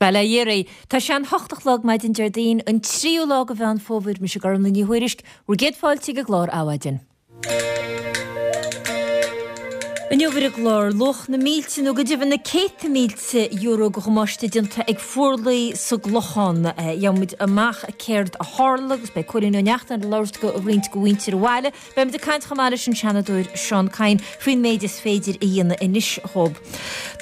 Bail ó Dhia oraibh. Tá sé an hocht a chlog maidin Déardaoin, an tríú lá de Mheán Fómhair, mise Gormlaith Ní Thuairisg, bhur gcéad fáilte ag an gclár Adhmhaidin. Inniu ar an gclár, luach na mílte nó go deimhin na céadta mílte euro de dhamáiste déanta ag fuarlaigh sa gClochán. Gheobhaimid amach céard a tharla agus beidh Cóilín Ó Neachtain ag labhairt go roinnt de mhuintir an bhaile. Beimid ag caint chomh maith leis an Seanadóir Seán Kyne faoin méid is féidir a dhéanamh anois dhóibh.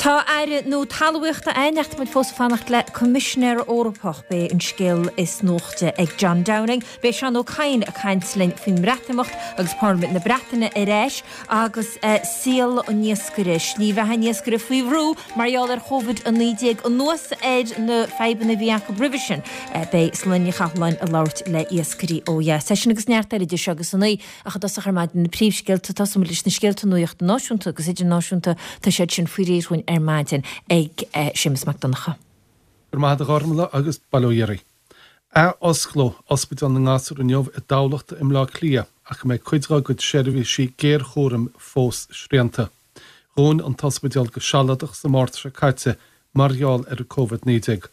Tá Aire nua Talmhaíochta againn ach tá muid fós ag fanacht le Coimisinéir Eorpach. Beidh an scéal is nuachta ag John Downing. Beidh Seán Ó Cadhain ag caint linn faoin mBreatimeacht agus Parlaimint na Breataine ar ais agus saol an iascaire, slí bheatha an iascaire faoi bhrú mar gheall ar Covid-19 anuas ar na fadhbanna a bhí acu roimhe sin. Beidh Sláine Ní Chathalláin ag labhairt le iascairí ó dheas. É sin agus neart eile idir seo agus a naoi. Ach i dtosach ar maidin na príomhscéalta, tosóimid leis na scéalta nuachta náisiúnta agus idirnáisiúnta, tá siad sin faoi réir dhúinn ar maidin ag Séamus Mac Donncha. Go raibh maith agat a Ghormlaith agus bail ó Dhia oraibh. Ath-osclóidh Ospidéal na nGasúr inniu i dTamhlacht i mBleá Cliath ach go mbeidh cuid dá gcuid seirbhísí géarchúraim fós srianta. Dhún an t-ospidéal go sealadach sa Márta seo caite mar gheall ar an Covid-19.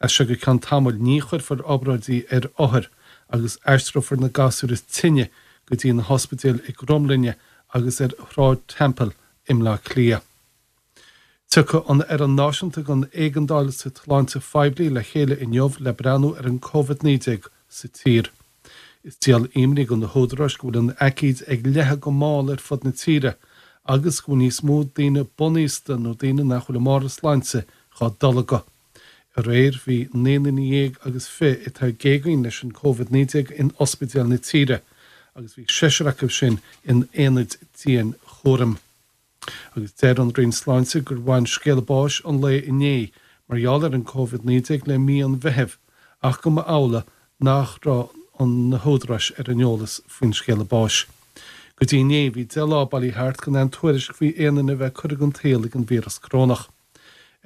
As seo go ceann tamaill ní chuirfear obráidí ar othair agus aistreofar na gasúir is tinne go dtí na hospidéil i gCromghlinne agus ar Shráid Temple i mBleá Cliath. Tiocfaidh an Fhoireann Náisiúnta don Éigeandáil sa tSláinte Phoiblí le chéile inniu le breathnú ar an Covid-19 sa tír. Is díol imní do na húdaráis go bhfuil an aicíd ag leathadh go mall ar fud na tíre agus go bhfuil níos mó daoine bunaosta nó daoine nach bhfuil i mbarr a sláinte dhá dtolgadh. Aréir bhí 19 nduine agus 20 atá ag géagaoin leis an Covid-19 in ospidéil na tíre agus bhí seisear acu sin in aonaid dianchúraim. Agus deir an Roinn Sláinte gur bhain scéala báis an lae inné mar gheall ar an Covid-19 le mí an Mheithimh ach go mba amhlaidh nach raibh na húdaráis ar an eolas faoin scéala báis. Go dtí inné bhí 10 lá bailithe thart gan aon tuairisc faoi aon duine a bheith curtha den tsaol ag an víreas corónach.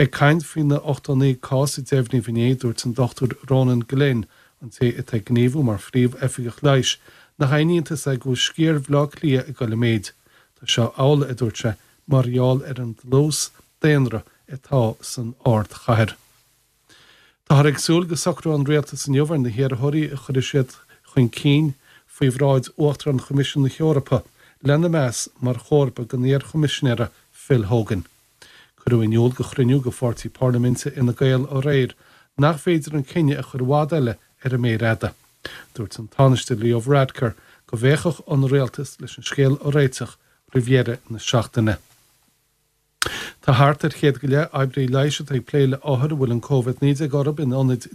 Ag caint faoi na 89 cás a deimhníodh inné, dúirt an Dr Ronan Glynn, an té atá ag gníomhú mar Phríomh-Oifigeach Leighis, nach aon iontas é go bhfuil sciar Bhaile Átha Cliath ag dul i méid. Tá seo amhlaidh, a dúirt sé, mar gheall ar an dlús daonra atá san ardchathair. Táthar ag súil go socróidh an Rialtas inniu ar na hiarrthóirí a chuirfidh siad chun cinn faoi bhráid Uachtarán Choimisiún na hEorpa lena meas mar chomharba don iar-Choimisinéara Phil Hogan. Cuireadh in iúl do chruinniú de pháirtí parlaiminte Fhine Gael aréir nach féidir an cinneadh a chur i bhfad eile ar an méar fhada. Dúirt an Tánaiste Leo Varadkar go bhféachfadh an Rialtas leis an scéal a réiteach roimh dheireadh na seachtaine. Tá thart ar chéad go leith oibrí leighis atá ag plé le othair a bhfuil an Covid-19 orthu in ionaid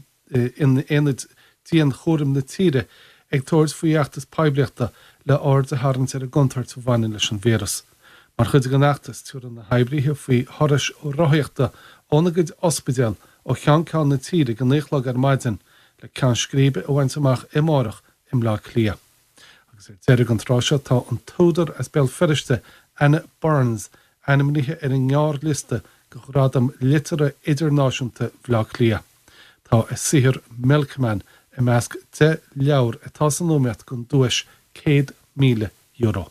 in aonaid dianchúraim na tíre ag tabhairt faoi fheachtas poiblíochta le aird a tharraingt ar an gcontúirt a bhaineann leis an víreas. Mar chuid den fheachtas, tabharfaidh na hoibrithe faoi thurais rothaíochta óna gcuid ospidéal ó cheann ceann na tíre ag a 9 a chlog ar maidin le ceann scríbe a bhaint amach amárach i mBleá Cliath. Agus ar deireadh an tráth seo tá an t-údar as Béal Feirste, Anna Burns, ainmnithe ar an ngearrliosta do Ghradam Liteartha Idirnáisiúnta Bhaile Átha Cliath. Tá a saothar Milkman i measc 10 leabhar atá san iomaíocht don duais €100,000.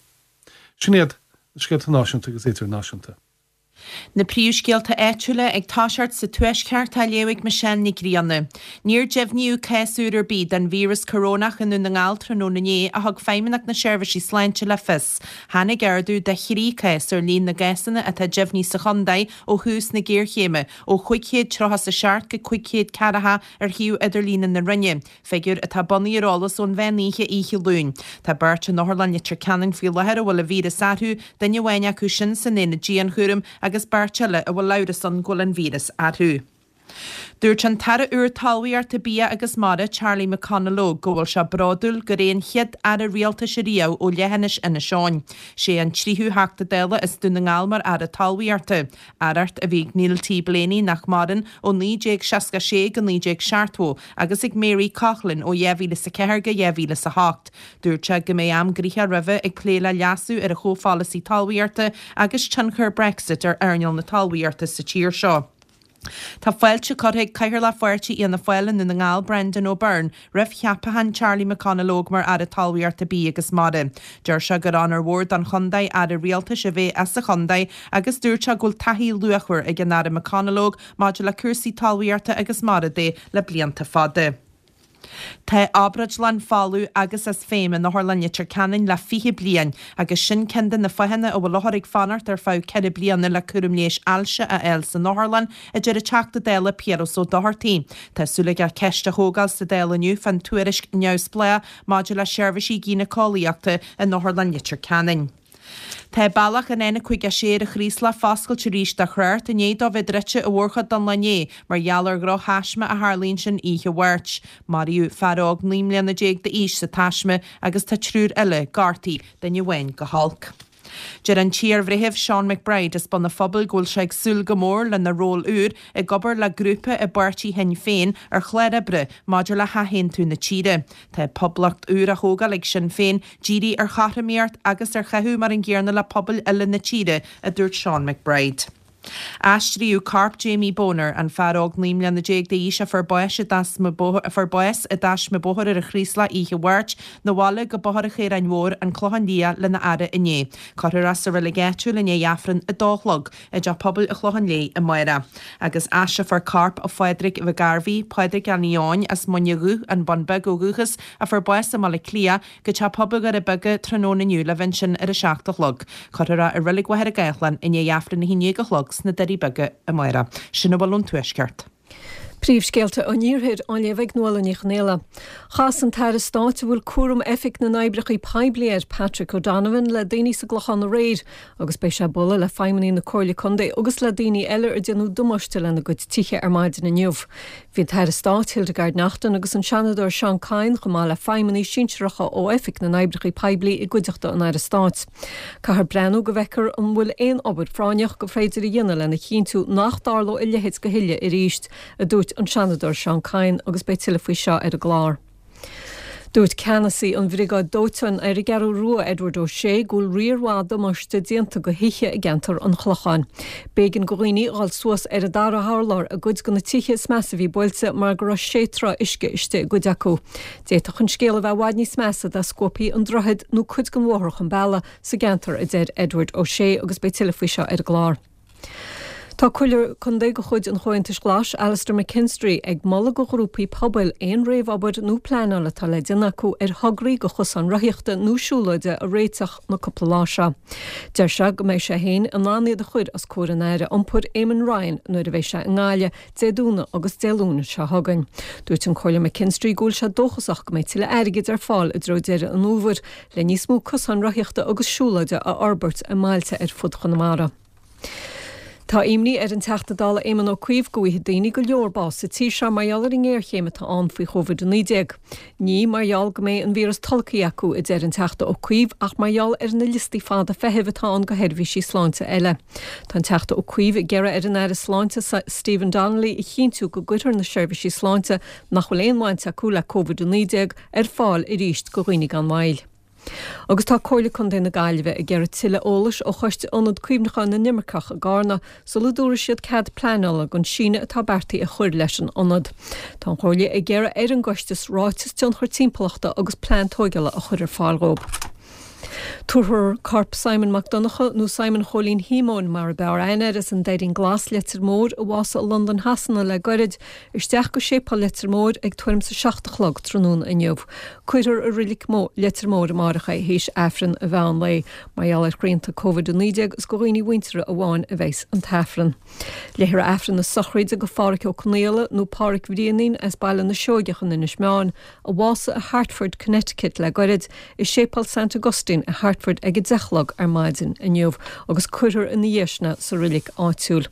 Sin iad na scéalta náisiúnta agus idirnáisiúnta. Na príomhscéalta áitiúla ag toiseacht sa Tuaisceart á léamh ag Michelle Nic Grianna. Níor deimhníodh cás úr ar bith den víreas corónach i nDún na nGall tráthnóna inné, a thug Feidhmeannacht na Seirbhísí Sláinte le fios. Tháinig ardú de thrí chás ar líon na gcásanna atá deimhnithe sa chontae ó thús na géarchéime, ó 537 go 540 ar shuíomh idirlíne na Roinne. Figiúr atá bunaithe ar eolas ón mheán oíche oíche Luain. Tá beirt in Otharlann Leitir Ceanainn faoi láthair a bhfuil an víreas orthu, duine amháin acu sin san aonad dianchúraim agus beirt eile a bhfuil amhras ann go bhfuil an víreas orthu. Dúirt an tAire úr Talmhaíochta, Bia agus Mara, Charlie McConalogue, go bhfuil sé bródúil gur é an chéad Aire Rialtais ariamh ó leithinis Inis Eoghain. Sé an tríú Theachta Dála as Dún na nGall mar Aire Talmhaíochta. Aireacht a bhí ag Neil T. Blaney, nach maireann, ó 1966 go 1970 agus ag Mary Coughlan ó 2004 go 2008. Dúirt sé go mbeidh am gnoitheach roimhe ag plé le leasú ar an chomhpholasaí talmhaíochta agus tionchar Brexit ar earnáil na talmhaíochta sa tír seo. Tá fáilte curtha ag Cathaoirleach Pháirtí Fhianna Fáil i nDún na nGall, Brendan O'Byrne, roimh cheapachán Charlie McConalogue mar Aire Talmhaíochta, Bídh agus Mara. Deir sé gur onóir mhór don chontae Aire Rialtais a bheith as an chontae agus dúirt sé go bhfuil taithí luachmhar ag an Aire McConalogue maidir le cúrsaí talmhaíochta agus mara de le blianta fada. Tá obráidlann folamh agus as feidhm in Otharlann Leitir Ceanainn le 20 bliain agus sin ceann de na fáthanna a bhfuil othair ag fanacht ar feadh 4 bliana le cúram leighis ailse a fháil san otharlann, a deir an Teachta Dála Piaras Ó Dochartaigh. Tá súil aige ceist a thógáil sa Dáil inniu fán tuairisc neamhspleách maidir le seirbhísí gíniceolaíochta in Otharlann Leitir Ceanainn. Tá bealach an N56 ar an Chraoslach foscailte arís do thrácht i ndiaidh dó bheith druidte an mhórchuid den lá inné mar gheall ar dhroch-thaisme a tharla ansin oíche Mháirt. Maraíodh fear óg 19 mbliana d'aois sa taisme agus tá triúr eile gortaithe, duine amháin go holc. Deir an t-iarbhreitheamh Seán McBride as Bun an Phobail go bhfuil sé ag súil go mór lena ról úr ag obair le grúpa i bpáirtí Shinn Féin ar chlár oibre maidir le hathaontú na tíre. Tá poblacht úr á thógáil ag Sinn Féin dírithe ar chothromaíocht agus ar chaitheamh mar an gcéanna le pobail uile na tíre, a dúirt Seán McBride. Aistríodh corp Jamie Boner, an fear óg 19 mbliana d'aois a fuair bás i dtaisme a fuair bás i dtaisme bóthair ar an Chraoslach oíche Mháirt, 'na bhaile go Bóthar an Chaoráin Mhóir, An Clochán Liath lena fhaire inné. Cuirfear é sa reilig áitiúil i ndiaidh Aifreann a dó a chlog i dTeach Pobail an Chlocháin Léith amárach. Agus aistreofar corp Phádraig Mhic Gairbhí, Pádraig Annie Eoin, as Muine Dhubh, An Bun Beag ó dhúchas, a fuair bás i mBaile Átha Cliath, go Teach Pobail Dhoire Beaga tráthnóna inniu le bheith ansin ar a 7 a chlog. Cuirfear é i Reilig Mhachaire Gathlán i ndiaidh Aifreann 11 a chlog sna Doirí Beaga amárach. Sin a bhfuil ón Tuaisceart. Príomhscéalta an Iarthair á léamh ag Nuala Ní Chonghaile. Chas an tAire Stáit a bhfuil cúram Oifig na nOibreacha Poiblí air, Patrick O'Donovan, le daoine sa gClochán aréir agus beidh sé ag bualadh le feidhmeannaigh na Comhairle Contae agus le daoine eile ar déanadh damáiste lena gcuid tithe ar maidin inniu. Bhí an tAire Stáit Hildegarde Naughton agus an Seanadóir Seán Kyne chomh maith le feidhmeannaigh sinsearacha ó Oifig na nOibreacha Poiblí i gcuideachta an Aire Stáit. Caithfear breathnú go bhfeicfear an bhfuil aon obair phráinneach gur féidir a dhéanamh lena chinntiú nach dtarlóidh a leithéid a thuilleadh arís, a dúirt an Seanadóir Seán Kyne agus beidh tuilleadh faoi seo ar an gclár. Dúirt ceannasaí an Bhriogáid Dóiteáin ar an gCeathrú Rua, Edward O'Shea, go bhfuil riar mhaith damáiste déanta go thithe i gceantar an Chlocháin. B'éigean go dhaoine dhul suas ar an dara hurlár i gcuid de na tithe is measa a bhí buailte mar go raibh sé troigh uisce istigh i gcuid acu. D'fhéadfadh an scéal a bheith i bhfad níos measa dá scuabfaí an droichead nó cuid den bhóthar chun bealaigh sa gceantar, a deir Edward O'Shea agus beidh tuilleadh faoi seo ar an gclár. Tá Comhairleoir Contae de chuid an Chomhaontais Ghlais, Alastair McKinstry, ag moladh go ghrúpaí pobail aon réamhobair nó pleanáil atá le déanamh acu ar thograí go chosáin rothaíochta nó siúlóide a réiteach na cúpla lá seo. Deir sé go mbeidh sé féin in ann iad a chur os comhair an Aire Iompair Eamon Ryan nuair a bheidh sé i nGaillimh Dé Domhnaigh agus Dé Luain seo chugainn. Dúirt an Comhairleoir McKinstry go bhfuil sé dóchasach go mbeidh tuilleadh airgid ar fáil i dtreo deireadh an fhómhair le níos mó cosáin rothaíochta agus siúlóide a fhorbairt i mbailte ar fud Chonamara. Tá imní ar an Teachta Dála Éamon Ó Cuív go bhfaighidh daoine go leor bás sa tír seo mar gheall ar an ngéarchéim atá ann faoi Covid-19. Ní mar gheall go mbeidh an víreas tolgtha acu, a deir an Teachta Ó Cuív, ach mar gheall ar na liostaí fada feithimh atá ann go sheirbhísí sláinte eile. Tá an Teachta Ó Cuív ag iarraidh ar an Aire Sláinte Stephen Donnelly a chinntiú go gcuirfear na seirbhísí sláinte nach bhfuil aon bhaint acu le Covid-19 ar fáil arís go dhaoine gan mhoill. Agus tá Comhairle Contae na Gaillimhe ag iarraidh tuilleadh eolais ó Choiste Ionad Cuimhneacháin na nImirceach i gCarna sula dtabharfaidh siad cead pleanála don síneadh atá beartaithe a chur leis an ionad. Tá an Chomhairle ag iarraidh ar an gcoiste ráiteas tionchar timpeallachta agus plean tóigeála a chur ar fáil dhóibh. Tabharfar corp Simon Mac Donncha, nó Simon Chóilín Shíomóin mar a b'fhearr aithne air, as an Doirín Glas, Leitir Móir, a bhásaigh i Londain Shasana le goirid, Isteach go Séipéal Leitir Móir ag tuairim 's a 7 a chlog tráthnóna inniu. Cuirfear i Reilig Leitir Móir amáireach é théis Aifreann an mheán lae. Mar gheall ar shrianta Covid-19 is go dhaoine mhuinteartha amháin a bheas an tAifreann. Léifear Aifreann na sochraide go Phádhraic Ó Conaola nó Pádhraic Bhriainín as Baile na Seoigeach in Inis Meáin, a bhásaigh i Hartford, Connecticut le goirid, i Séipéal Saint Augustine i Hartford ag 10 a chlog ar maidin inniu agus cuirfear ina dhiaidh sin é sa reilig áitiúil.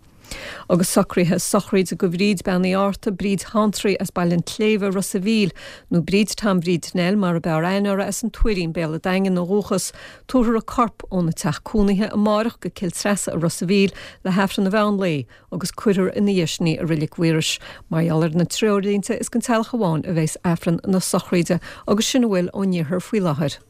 Agus socruithe sochraide go Bhríd Bean Uí Fhátharta, Bríd Shantraí as Baile an tSléibhe, Ros a' Mhíl, nó Bríd Tom Bhríd Nell mar a b'fhearr aithne uirthi as an Tuairín, Béal a' Daingin ó dhúchas. Tabharfar a corp óna teach cónaithe amárach go Cill Treasa i Ros a' Mhíl le hAifreann an mheán lae agus cuirfear ina dhiaidh sin í i Reilig Mhaorais. Mar gheall ar na treoirlínte is don teaghlach amháin a bheas Aifreann na sochraide agus sin a bhfuil ón iarthar faoi láthair.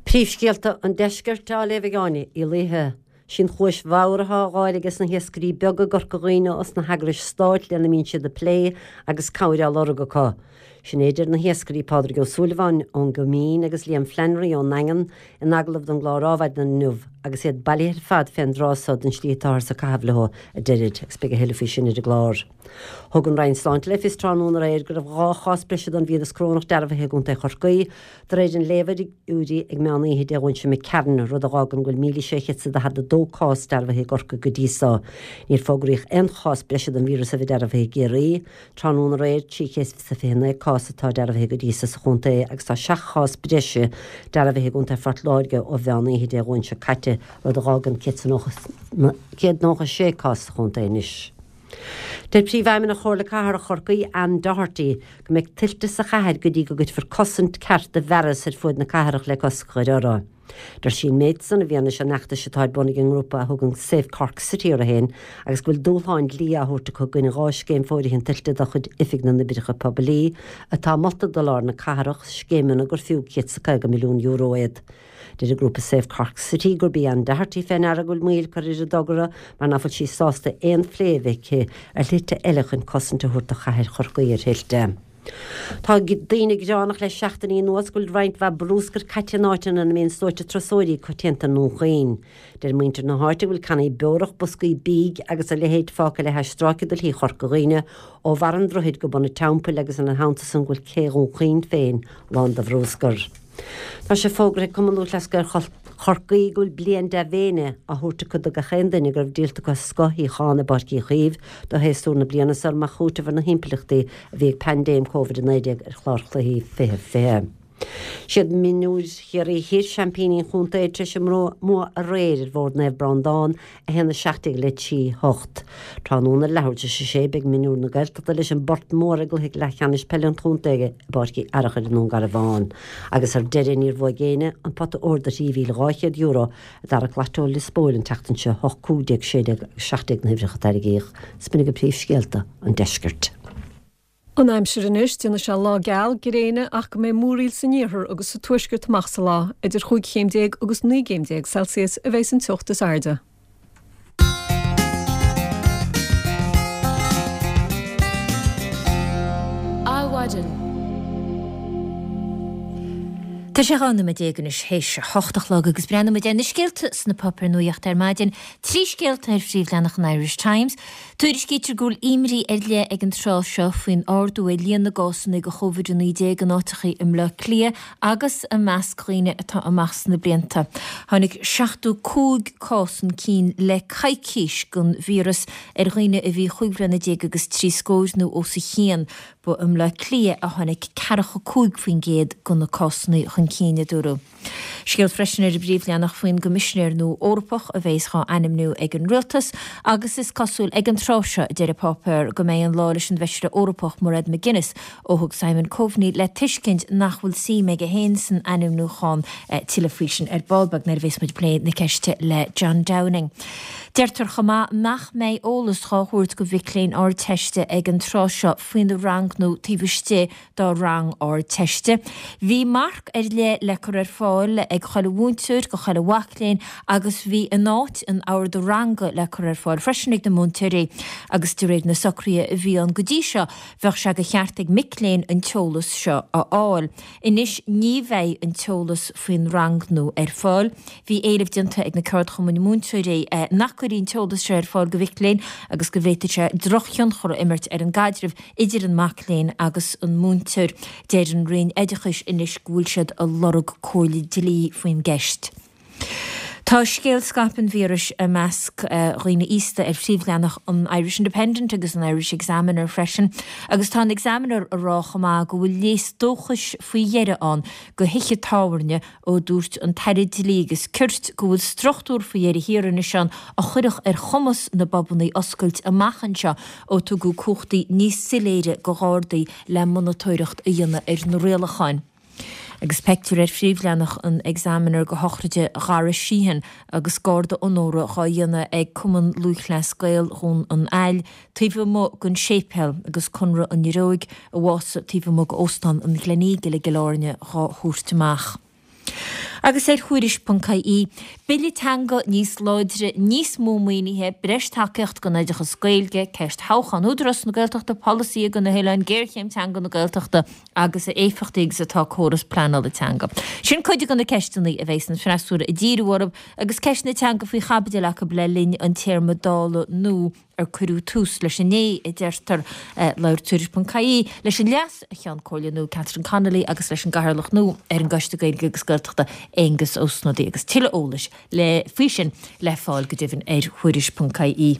Príomhscéalta an Deiscirt á léamh ag Áine Uí Laoithe. Sí an chluais bhodhar atá á fháil aige sna hiascairí beaga i gCorca Dhuibhne os na heagrais stáit lena mbíonn siad ag plé agus cabhair á lorg acu. Sin é a deir na hiascairí Pádraig Ó Súilleabháin ón gCoimín agus Liam Flannery ón nDaingean in agallamh don gclár Adhmhaidin inniu agus iad bailithe ar fad fén dtráth so don slí atáthar ag caitheamh leo, a deirid, agus beidh a thuilleadh faoi sin ar an gclár. Thug an Roinn Sláinte le fios tráthnóna aréir go raibh 2 chás breise den víreas corónach dearbhaithe i gContae Chorcaí, de réir an léamha fhigiúirí ag meán oíche Dé Domhnaigh seo imigh tharainn, rud a dh'fhágann go bhfuil 1,642 cás dearbhaithe i gCorcaigh go dtí so. Níor fógraíodh aon chás breise den víreas a bheith dearbhaithe i gCiarraí. Tráthnóna aréir, 329 cás atá dearbhaithe go dtí so sa chontae agus tá 7 chás breise dearbhaithe i gContae Phort Láirge ó mheán oíche Dé Domhnaigh seo caite, rud a dh'fhágann 196 cás sa chontae anois. Deir Príomhfheidhmeannach Chomhairle Cathrach Chorcaí, Anne Doherty, go mbeidh tuilte sa chathair go dtí go gcuirfear cosaint ceart de bhfearas ar fuaid na cathrach le cosc a chur orthu. Deir sí an méid san i bhfianaise an fheachtais atá ar bun ag an ngrúpa a thugann Save Cork City orthu féin agus go bhfuil dúshláin dlí á thabhairt acu i gcoinne 2 scéim fóirithint tuilte de chuid Oifig na nOibreacha Poiblí atá molta do lár na cathrach, scéimeanna gur fiú €150 milliún iad. Deir an grúpa Save Cork City gurb í Anne Doherty fé ndeara go bhfuil moill curtha ar an dtogra mar nach bhfuil sí sásta aon phlé a bheith aici ar shlite eile chun cosaint a thabhairt do chathair Chorcaí ar thuilte. Tá daoine gearánach le seachtainí anuas go bhfuil roinnt mhaith brúscair caite in áiteanna ina mbíonn sluaite turasóirí coitianta i nDún Chaoin. Deir muintir na háite go bhfuil cannaí beorach, boscaí bídh agus a leithéid fágtha le hais stráice de Shlí Chorca Dhuibhne ó bharr an droichid go bun an teampaill agus ina theannta san go bhfuil cé Dhún Chaoin féin lán de bhrúscar. Tá sé fógraithe ag Cumann Lúthchleas Gael Chorcaí go bhfuil bliain dea-mhéine á thabhairt acu do gach aon duine go raibh díolta acu scoth-shuíochán i bPáirc Uí Chaoimh do shéasúr na bliana seo mar chúiteamh ar na himpleachtaí a bhí ag paindéim Covid-19 ar chlár chluichí 2020. Siad mionúir Chiarraí Thoir seaimpíní an chontae tar éis a mbua aréir ar Bhord Naomh Breandán 1, 17 le 3, 8. Tráthnóna ar leathuair tar éis a sé beidh mionúir na Gaeltachta leis an bPort Mór i gcluiche leathcheannais peile an chontae i bPáirc Uí Fhearachair i nDún Garbhán. Agus ar deireadh níor bhuaigh éinne an pota óir de €3,200 a d'arrac Lató Lios Póil an tseachtain seo, 8, 15, 16 agus 17 na huimhreacha a tairgíodh. B'in agaibh príomhscéalta an deiscirt. An aimsir anois, déanfaidh sé lá geal, gréine ach go mbeidh múraíl san iarthar agus sa tuaisceart amach sa lá. Idir chúig chéim déag agus 19 gcéim Celsius a bheidh an teocht is airde. Adhmhaidin. Tá sé 12 nóiméad anois théis a hocht a chlog agus breathnóidh muid ar na scéalta sna páipéir nuachta ar maidin. Trí scéalta ar phríomhleathanach an Irish Times. Tuairiscítear go bhfuil imní ar leith ag an tráth seo faoin ardú ar líon na gcásanna de Covid-19 in áiteachaí i mBleá Cliath agus i measc dhaoine atá amach sna blianta. Tháinig 75 cás chun cinn le coicís den víreas ar dhaoine a bhí chúig bhliana déag agus trí scóir nó os a chionn. Ba i mBleá Cliath a tháinig 45% de na cásanna chun cinn, a dúradh. Scéal freisin ar an bpríomhleathanach faoin gCoimisinéir nua Eorpach a bheas dhá ainmniú ag an Rialtas agus is cosúil ag an tráth seo, a deir an páipéar, go mbeidh an lá leis an bhFeisire Eorpach Mairead McGuinness ó thug Simon Coveney le tuiscint nach bhfuil suim aige féin san ainmniúchán. Tuilleadh faoi sin ar ball beag nuair a bheas muid ag plé na ceiste le John Downing. Deirtear chomh maith nach mbeidh eolas dhá thabhairt go mhic léinn Ardteiste ag an tráth seo faoina rangnú taobh istigh dá rang Ardteiste. Bhí marc ar leith le cur ar fáil ag chuile mhúinteoir go chuile mhac léinn agus bhí in áit an orda ranga le cur ar fáil freisin ag na múinteoirí agus de réir na socruithe a bhí ann go dtí seo bheadh sé de cheart ag mic léinn an t-eolas seo a fháil. Anois ní bheidh an t-eolas faoin rangnú ar fáil. Bhí éileamh déanta ag na ceardchumainn múinteoirí nach gcuirfí an t-eolas seo ar fáil go mhic léinn agus go bhféadfadh sé drochthionchar a imirt ar an gcaidreamh idir an mac léinn agus an múinteoir. Deir an Roinn Oideachais anois go bhfuil siad ag lorg comhairle dlí faoin gceist. Tá scéal scaipeadh an víris i measc dhaoine aosta ar phríomhleathanach an Irish Independent agus an Irish Examiner freisin agus tá an Examiner ag rá chomh maith go bhfuil léas dóchais faoi dheireadh ann go thithe tábhairne ó dúirt an tAire Dlí agus Cirt go bhfuil struchtúr faoi dheireadh thiar anois ann a chuirfeadh ar chumas na bpubannaí oscailt amach anseo ó tugadh cumhachtaí níos soiléire go Ghardaí le monatóireacht a dhéanamh ar na rialacháin. Agus peictiúr ar phríomhleathanach an Examiner go shochraide Dhara Sheehan agus garda onóra dhá dhéanamh ag Cumann Lúthchleas Gael Dhún an Aill taobh amuigh den séipéal agus Conradh an Fhir Óig a bhásaigh taobh amuigh d'Óstán an Gleneagle i gCill Airne dhá thabhairt amach. Agus ar Thuairisc.ie, Bille teanga níos láidre, níos mó maoinithe, breis tacaíocht don oideachas Gaeilge, ceist thoghchán Údarás na Gaeltachta, polasaithe do na hoileáin, géarchéim teanga na Gaeltachta agus a éifeachtaí agus atá córas pleanála teanga. Sin cuid de na ceisteanna a bheas an freasúra ag díriú orthu agus ceist na teanga faoi chaibidil acu le linn an téarma Dála nua. ar cuireadh tús leis inné, a deirtear. Labhair Tuairisc.ie leis an Leas-Cheann Comhairle nua Catherine Connolly agus leis an gCathaoirleach nua ar an gCoiste Gaeilge agus Gaeltachta, Aengus Ó Snodaigh agus tuilleadh eolais le faoi sin le fáil go deimhin ar Thuairisc.ie.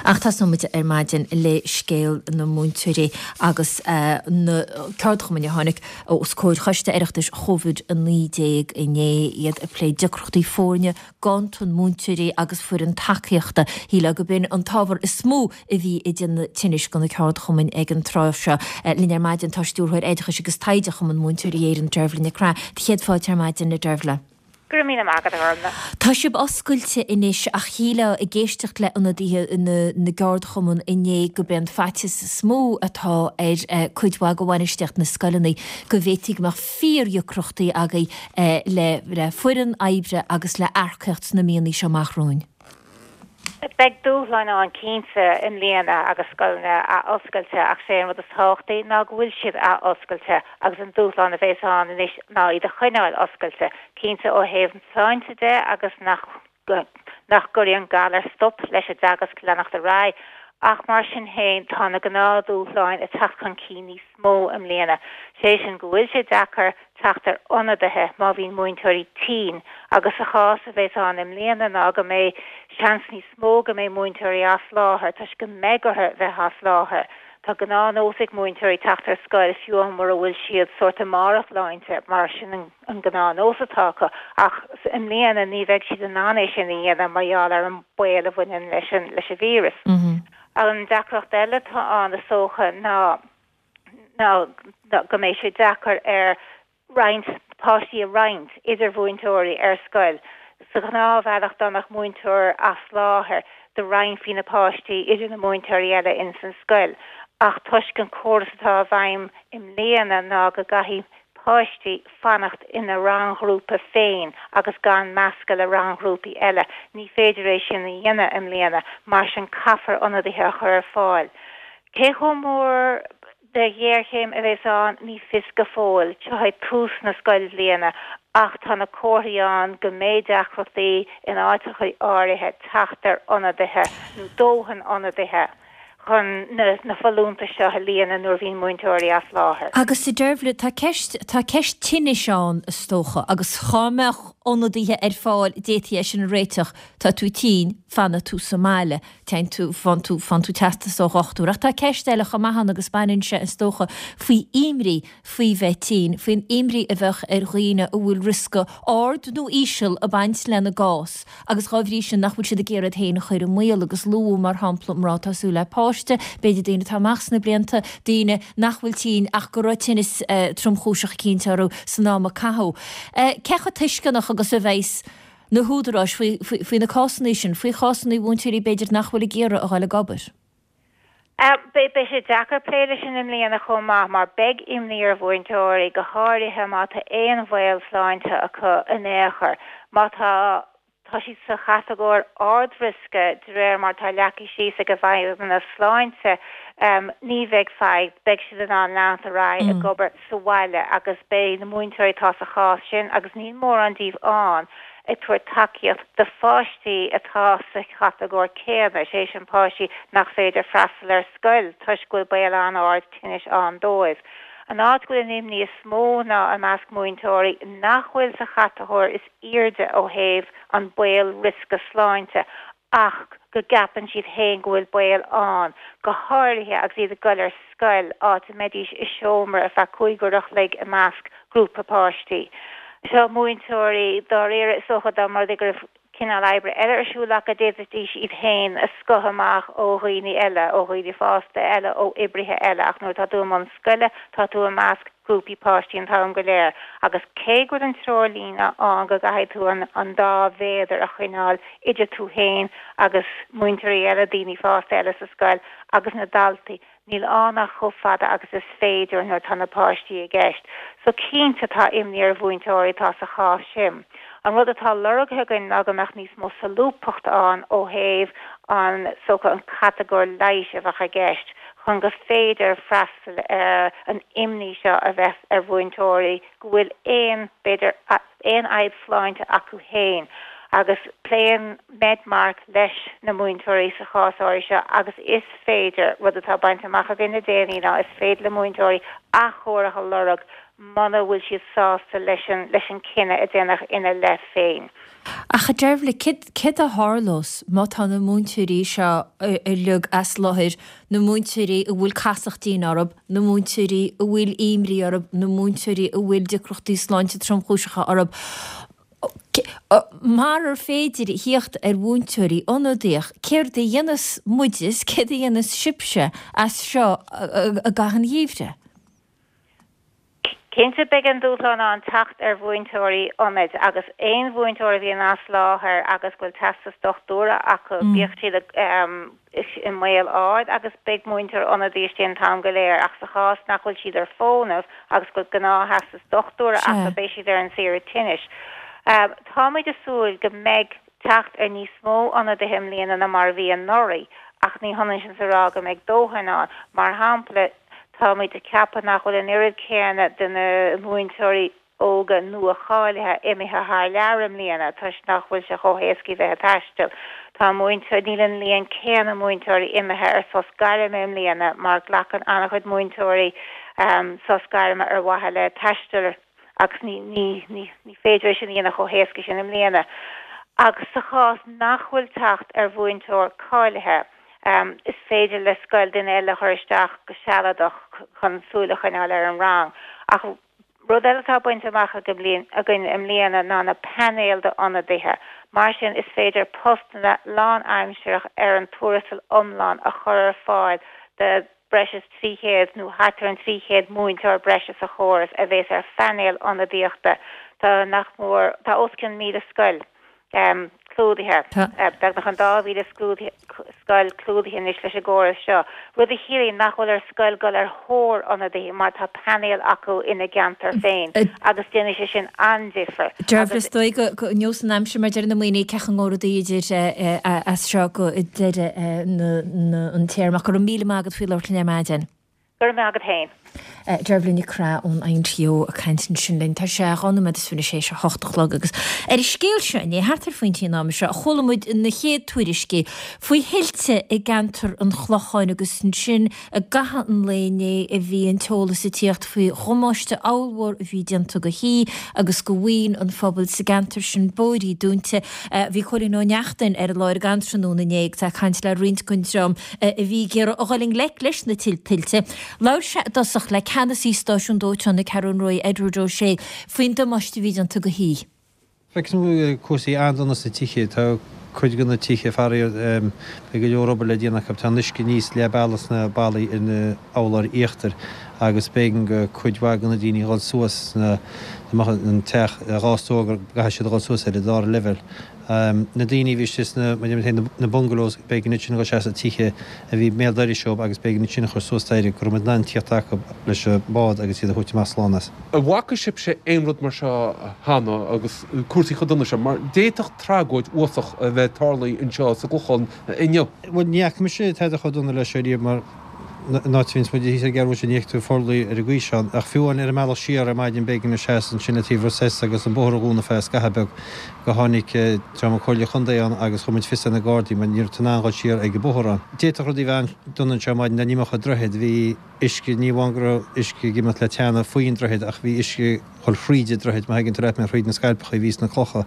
Ach tosóidh muid ar maidin le scéal na múinteoirí agus na ceardchumainn a tháinig os comhair Choiste Oireachtais Covid-19 inné, iad ag plé deacrachtaí foirne, ganntan múinteoirí agus foireann tacaíochta. Shílfeá go b'in an t-ábhar is mó a bhí ag déanamh tinnis do na ceardchumainn ag an tráth seo. Linn ar maidin tá Stiúrthóir Oideachais agus Taighde Chumann Múinteoirí Éireann, Deirbhile Nic Craith. Do chéad fáilte ar maidin, a Deirbhile. Go raibh míle maith agat, a Ghormfhlaith. Tá sibh oscailte anois ach shílfeá ag éisteacht le ionadaithe na gceardchumann inné go b'é an faitíos is mó atá ar cuid mhaith de bhainistíocht na scoileanna go bhféadfaí go mbeadh fíordheacrachtaí agaibh le foireann oibre agus le earcaíocht sna míonna seo amach romhainn. Beidh dúshláin ann cinnte i mbliana agus scoileanna ath-oscailte ach sé an rud is tábhachtaí ná go bhfuil siad ath-oscailte agus an dúshlán a bhéas ann anois ná iad a choinneáil oscailte, cinnte ó thaobh na sláinte de agus nach nach gcuirfidh an galar stop leis an dteagasc leanacht ar aghaidh ach mar sin féin tá na gnáthdhúshláin ag teacht chun cinn níos mó i mbliana, sé sin go bhfuil sé deacair teacht ar ionadaithe má bhíonn múinteoirí tinn agus sa chás a bheas ann i mbliana ná go mbeidh seans níos mó go mbeidh múinteoirí as láthair toisc go mbeidh orthu bheith as láthair. Tá gnáthnós ag múinteoirí teacht ar scoil fiú mura bhfuil siad sórt i mbarr a sláinte mar sin an an gnáthnós atá acu ach i mbliana ní bheidh siad in ann é sin a dhéanamh mar gheall ar an baol a bhaineann leis an leis an víreas. An deacracht eile atá ann is dócha ná ná go mbeidh sé deacair ar roinnt páistí a roinnt idir mhúinteoirí ar scoil. Sa ghnáthbhealach dá mbeadh múinteoir as láthair do roinnfí na páistí idir na múinteoirí eile ins an scoil ach toisc an córas atá i bhfeidhm i mbliana ná go gcaithfidh páistí fanacht ina ranghrúpa féin agus gan meascadh le ranghrúpaí eile. Ní féidir é sin a dhéanamh i mbliana, mar sin caithfear ionadaithe a chur ar fáil. Cé chomh mór de ghéarchéim a bheas ann, ní fios go fóill. Seo é tús na scoilbhliana ach tá na comharthaí ann go mbeidh deacrachtaí in áiteacha áirithe teacht ar ionadaithe nó dóthain ionadaithe. chun na folúntais seo a líonadh nuair a bhíonn múinteoirí as láthair. Agus a Deirbhile, tá ceist, tá ceist tinnis ann is dócha, agus dhá mbeadh ionadaithe ar fáil d'fhéadfaí é sin a réiteach, tá tú tinn, fanfaidh tú sa mbaile, téann tú, faigheann tú, faigheann tú teastas ó dhochtúir. Ach tá ceist eile chomh maith ann agus baineann sé is dócha faoi imní faoi bheith tinn, faoin imní a bheadh ar dhaoine a bhfuil riosca ard nó íseal ag baint lena gcás agus dhá bhrí sin nach bhfuil siad ag iarraidh iad féin a chur i mbaol agus luadh mar shampla mná atá ag súil le páiste, b'fhéidir daoine atá amach sna blianta, daoine nach bhfuil tinn ach go raibh tinneas tromchúiseach eicínt orthu san am a caitheadh. Cé chomh tuisceanach agus a bheas na húdaráis faoi na cásanna sin, faoi chásanna mhúinteoirí b'fhéidir nach bhfuil ag iarraidh a dhul ag obair? Beidh sé deacair plé leis sin i mbliana chomh maith mar beidh imní ar mhúinteoirí, go háirithe má tá aon bhaol sláinte acu in aon chor. Má tá tá siad sa chatagóir ard-riosca de réir mar atá leagtha síos ag an bhFeidhmeannas Sláinte, ní bheidh fadhb, beidh siad in ann leanacht ar aghaidh ag obair sa bhaile agus beidh na múinteoirí atá sa chás sin, agus níl mórán díobh ann, ag tabhairt tacaíocht do pháistí atá sa chatagóir céanna, sé sin páistí nach féidir freastal ar scoil toisc go bhfuil baol an-ard tinnis ann dóibh. An áit go bhfuil an imní is mó ná i measc múinteoirí nach bhfuil sa chatagóir is airde ó thaobh an baol riosca sláinte ach go gceapann siad féin go bhfuil baol ann, go háirithe agus iad ag dul ar scoil, áit a mbeidís i seomra ar feadh 5 uair a chloig i measc grúpa páistí. Seo múinteoirí, dáiríre, is dócha dá mba rud é go raibh cineál oibre eile ar siúl acu, d'fhéadfaidís iad féin a scoitheadh amach ó dhaoine eile, ó dhaoine fásta eile, ó oibrithe eile, ach nuair atá tú i mbun scoile, tá tú i measc grúpaí páistí an t-am go léir agus cé go bhfuil an treoirlíne ann go gcaithfidh tú an dá mhéadar a choinneáil idir tú féin agus múinteoirí eile, daoine fásta eile sa scoil agus na daltaí. Níl ann ach chomh fada agus is féidir nuair atá na páistí i gceist. So cinnte tá imní ar mhúinteoirí atá sa chás sin. An rud atá lorgtha againn ná go mbeadh níos mó solúbthachta ann ó thaobh an, is dócha, an catagóir leighis a bheadh i gceist chun gur féidir freastal ar an imní seo a bheas ar mhúinteoirí go bhfuil aon, b'fhéidir, aon fhadhb sláinte acu féin agus pléann Medmark leis na múinteoirí sa chás áirithe seo agus is féidir, rud atá bainte amach againn le déanaí ná is féidir le múinteoirí athchóiriú a lorg muna bhfuil siad sásta leis an leis an cinneadh a déanadh ina leith féin. Ach a Deirbhile, céard céard a tharlós má tá na múinteoirí seo uilig as láthair, na múinteoirí a bhfuil casacht dian orthu, na múinteoirí a bhfuil imní orthu, na múinteoirí a bhfuil deacrachtaí sláinte tromchúiseacha orthu. Marar féidir a thíocht ar mhúinteoirí ionadaíoch, céard a dhéanfas muide is céard a dhéanfas sibhse as seo i gcaitheamh an gheimhridh? Cinnte beidh an dúshlán ann teacht ar mhúinteoirí ionaid agus aon mhúinteoir a bhíonn as láthair agus go bhfuil teastas dochtúra acu, bíodh siad i mbaol ard agus beidh múinteoir ionadaí istigh an t-am go léir ach sa chás nach bhfuil siad ar fónamh agus go bhfuil gnáth-theastas dochtúra acu beidh siad ar an saoire tinnis. Táimid ag súil go mbeidh teacht ar níos mó ionadaithe i mbliana ná mar a bhí anuraidh ach ní hionann sin is a rá go mbeidh dóthain ann. Mar shampla, Táimid ag ceapadh nach bhfuil an oiread céanna de na múinteoirí óga nua-cháilithe imithe thar lear i mbliana toisc nach bhfuil sé chomh héasca bheith ag taisteal. Tá múinteoirí, níl an líon céanna múinteoirí imithe ar sos gairme i mbliana mar glacann an-chuid múinteoirí sos gairme ar mhaithe le taisteal agus ní, ní, ní, ní féidir é sin a dhéanamh chomh héasca sin i mbliana. Agus sa chás nach bhfuil teacht ar mhúinteoir cáilithe, is féidir le scoil duine eile a chur isteach go sealadach chun súil a choinneáil ar an rang. Ach rud eile atá bainte amach againn i mbliana ná na painéil d'ionadaithe. Mar sin, is féidir postanna lánaimsearach ar an tuarastal iomlán a chur ar fáil do breis is 300 nó thart ar an 300 múinteoir breise sa chóras a bhéas ar phainéal ionadaíochta. Tá nach mór, tá os cionn 1,000 scoil clúdaithe, beagnach an dá mhíle scoil clúdaithe anois leis an gcóras seo, rud a chiallaíonn nach bhfuil ar scoil dul ar thóir ionadaithe mar tá painéal acu ina gceantar féin agus déanfaidh sé sin an-difear. Dearbhla, is dóigh go neosfaidh an aimsir mar deir na ndaoine cé chomh ngóra rudaí idir as seo go deireadh an téarma. Ach go raibh míle maith agat faoi labhairt linn ar maidin. Go raibh maith agat féin. Dearbhla Nic Craith ón INTO ag caint ansin linn. Tá sé 2 nóiméad is fiche théis a hocht a chlog agus ar an scéal seo inné, thart ar phointí an ama seo, chuala muid na chéad tuairiscí faoi thuilte i gceantar an Chlocháin agus ansin i gcaitheamh an lae inné a bhí an t-eolas ag tíocht faoi dhamáiste ollmhór a bhí déanta go thithe agus go mhaoin an phobail sa gceantar sin, bóithrí dúnta. Bhí Cóilín Ó Neachtain ar an láthair ag an tráthnóna inné agus é ag caint le roinnt den dream a bhí ag iarraidh a dhul i ngleic leis na tuilte. Labhair sé i dtosach le ceannasaí stáisiún dóiteáin na Ceathrún Rua, Edward O'Shea, faoin damáiste a bhí déanta go thithe. Feicim cúrsaí an-dona sna tithe. Tá cuid de na tithe, faraor, beidh go leor obair le déanamh acu. Tá an uisce aníos leath bealaigh sna ballaí ar na urláir íochtair agus b'éigean go cuid mhaith de na daoine a dhul suas sna, dá mbeadh an teach dhá stór go gcaithfidh siad a dhul suas ar an dara leibhéal. Na daoine a bhí istigh sna, mar a deir muid féin, na bungalows, b'éigean iad sin a dhul isteach sna tithe a bhí béal dorais dóibh agus b'éigean iad sin a chur suas staighre go raibh muid in ann tíocht acu leis an bhád agus iad a thabhairt amach slán as. An bhfaca sibhse aon rud mar seo cheana agus cúrsaí chomh dona seo? Mar d'fhéadfadh tragóid uafásach a bheith tarlaithe anseo sa gClochán inniu. Bhuel, ní fhaca mise tada chomh dona leis seo riamh mar an áit a bhíonns muid thíos ar an gCeathrú Rua ní fheicfidh tú forluí ar an gcaoi seo. Ach fiú amháin ar an mbealach siar ar maidin b'éigean a sheasamh ansin le taobh Ros S agus an bóthar a dhúnadh feadh scatha beag go tháinig dream an Comhairle Chontae ann agus chuir muid fios ar na Gardaí mar ní raibh tú in ann dhul siar ag an bóthar ann. D'fhéadfadh rudaí a bheith an-dona anseo ar maidin dá n-imeodh an droichead. Bhí uisce, ní amháin go raibh uisce ag imeacht le teannadh faoin droichead ach bhí uisce ag dhul thríd an droichead, má thuigeann tú leat mé, thríd na scailpeacha a bhí sna clocha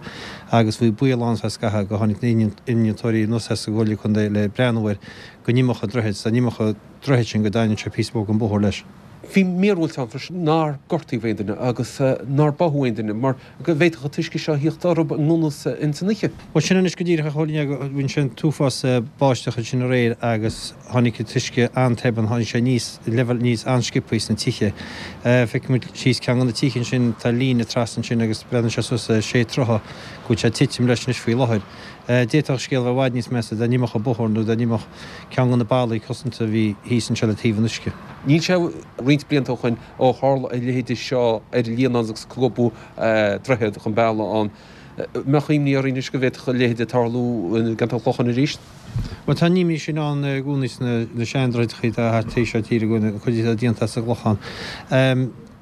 agus bhí baol ann feadh scatha go tháinig na innealtóirí anuas as an gComhairle Contae le breathnú air go n-imeodh an droichead, 's dá n-imeodh an droichead sin go dtarraingeodh sé píosa mór den bhóthar leis. Bhí míorúilt ann freisin nár gortaíodh aon duine agus nár báthadh aon duine mar go bhféadfadh an t-uisce seo a thíocht orthu i ngan fhios ins an oíche. Bhuel sin anois go díreach a Chóilín, go bhfuil sé an t-uafás báisteach ansin aréir agus tháinig an t-uisce an-tobann, tháinig sé aníos, leibhéal aníos an-sciobthaí sna tithe. Feicfidh muid síos ceann de na tithe ansin, tá líne trasna ansin agus breathnaíonn sé suas sé troithe go bhfuil sé ag titim leis anois faoi láthair. D'fhéadfadh an scéal a bheith i bhfad níos measa dá n-imeodh an bóthar nó dá n-imeodh ceann de na ballaí cosanta a bhí thíos anseo le taobh an uisce. Níl sé roinnt blianta ó shoin ó tharla a leithéide seo ar an Líonán agus scuabadh droichead chun bealaigh ann. Mbeadh imní orainn anois go bhféadfadh a leithéide tarlú i gceantar an Chlocháin arís? Bhuel, tá an imní sin ann i gcónaí sna seandroicheadacha atá thart taobh seo tíre againn, an chuid atá déanta as an gClochán.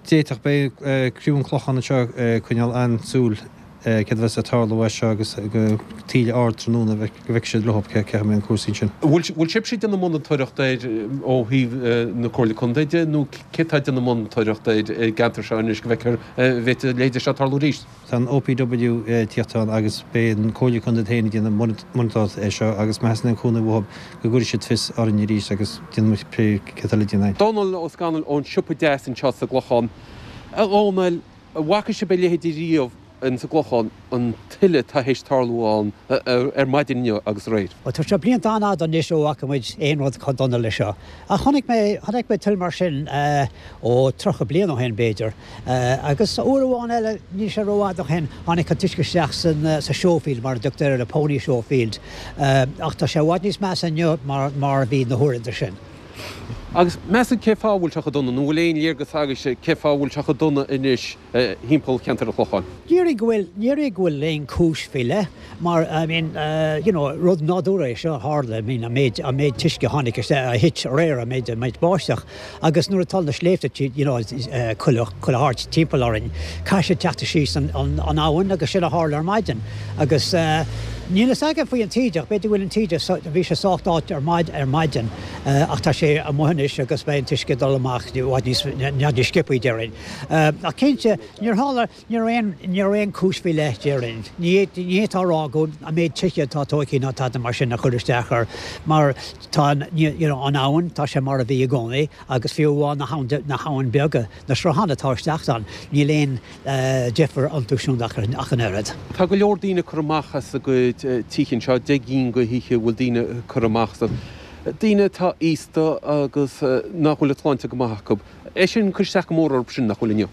D'fhéadfadh, beidh criú an Chlocháin anseo ag coinneáil an-súil céard a bheas ag tarlú as seo agus go taoille ard tráthnóna go bhfeicfidh siad leo cé chaoi a mbeidh cúrsaí ansin. Bhfuil sibhse ag déanamh monatóireacht air ó thaobh na Comhairle Contae de nó cé atá ag déanamh monatóireacht air i gceantar seo anois go bhfeicfear an bhféadfadh a leithéide seo tarlú arís? Tá an OPW ag tíocht ann agus beidh an Comhairle Contae féin ag déanamh monatóireacht air seo agus má theastaíonn aon chúnamh uathu go gcuirfidh siad fios orainn arís agus déanfaidh muid plé céard atá le déanamh. Dónal Ó Scanaill ón Siopa Deas anseo sa gClochán. A Dhónaill, an bhfaca sibh a leithéide riamh in sa gClochán, an tuile atá théis tarlú ann ar maidin inniu agus aréir? Bhuel, tá sé blianta an-fhada anois ó fhaca muid aon rud chomh dona le seo. Ach chonaic mé, chonaic mé tuile mar sin, ó, 30 bliain ó shin, b'fhéidir. Agus uair amháin eile, níl sé rófhada ó shin, tháinig an t-uisce isteach san, sa showfield, mar a dtugtar air, an pony showfield. Ach tá sé i bhfad níos measa inniu mar, mar a bhí na huaireanta sin. Agus meas tú cé fáth a bhfuil sé chomh dona, nó an bhfuil aon léargas agaibhse cé fáth a bhfuil sé chomh dona anois thimpeall cheantar an Chlocháin? Ní déarfainn go bhfuil, ní déarfainn go bhfuil aon chúis faoi leith mar I mean you know rud nádúrtha é seo a tharla, I mean an méid, an méid t-uisce a tháinig isteach, a thit aréir, an méid, an méid báisteach agus nuair atá na sléibhte you know chuile, chuile háit timpeall orainn, caithfidh sé teacht síos an, an, an abhainn agus sin a tharla ar maidin agus níl fhios agam faoi an taoideach, b'fhéidir go bhfuil an taoideach, bhí sé sách áit ar maid, ar maidin. Ach tá sé amuigh anois agus beidh an t-uisce ag dul amach i bhfad níos, níos sciobthaí déarfainn. Ach cinnte, níor tharla, ní raibh aon, ní raibh aon chúis faoi leith déarfainn. Ní, ní fhéadfá a rá go an méid tithe atá tógtha ná tada mar sin a chuir isteach air mar tá an, you know, an abhainn, tá sé mar a bhí i gcónaí agus fiú amháin na habhann, na habhann beaga, na srutháin atá isteach ann, níl aon, deifir iontu siúd ach an oiread. Tá go leor daoine curtha amach as a gcuid tithe anseo, 10 gcinn de thithe a bhfuil daoine curtha amach astu. Daoine atá aosta agus nach bhfuil an tsláinte go maith acu. É sin ag cur isteach go mór orthu sin, nach bhfuil inniu?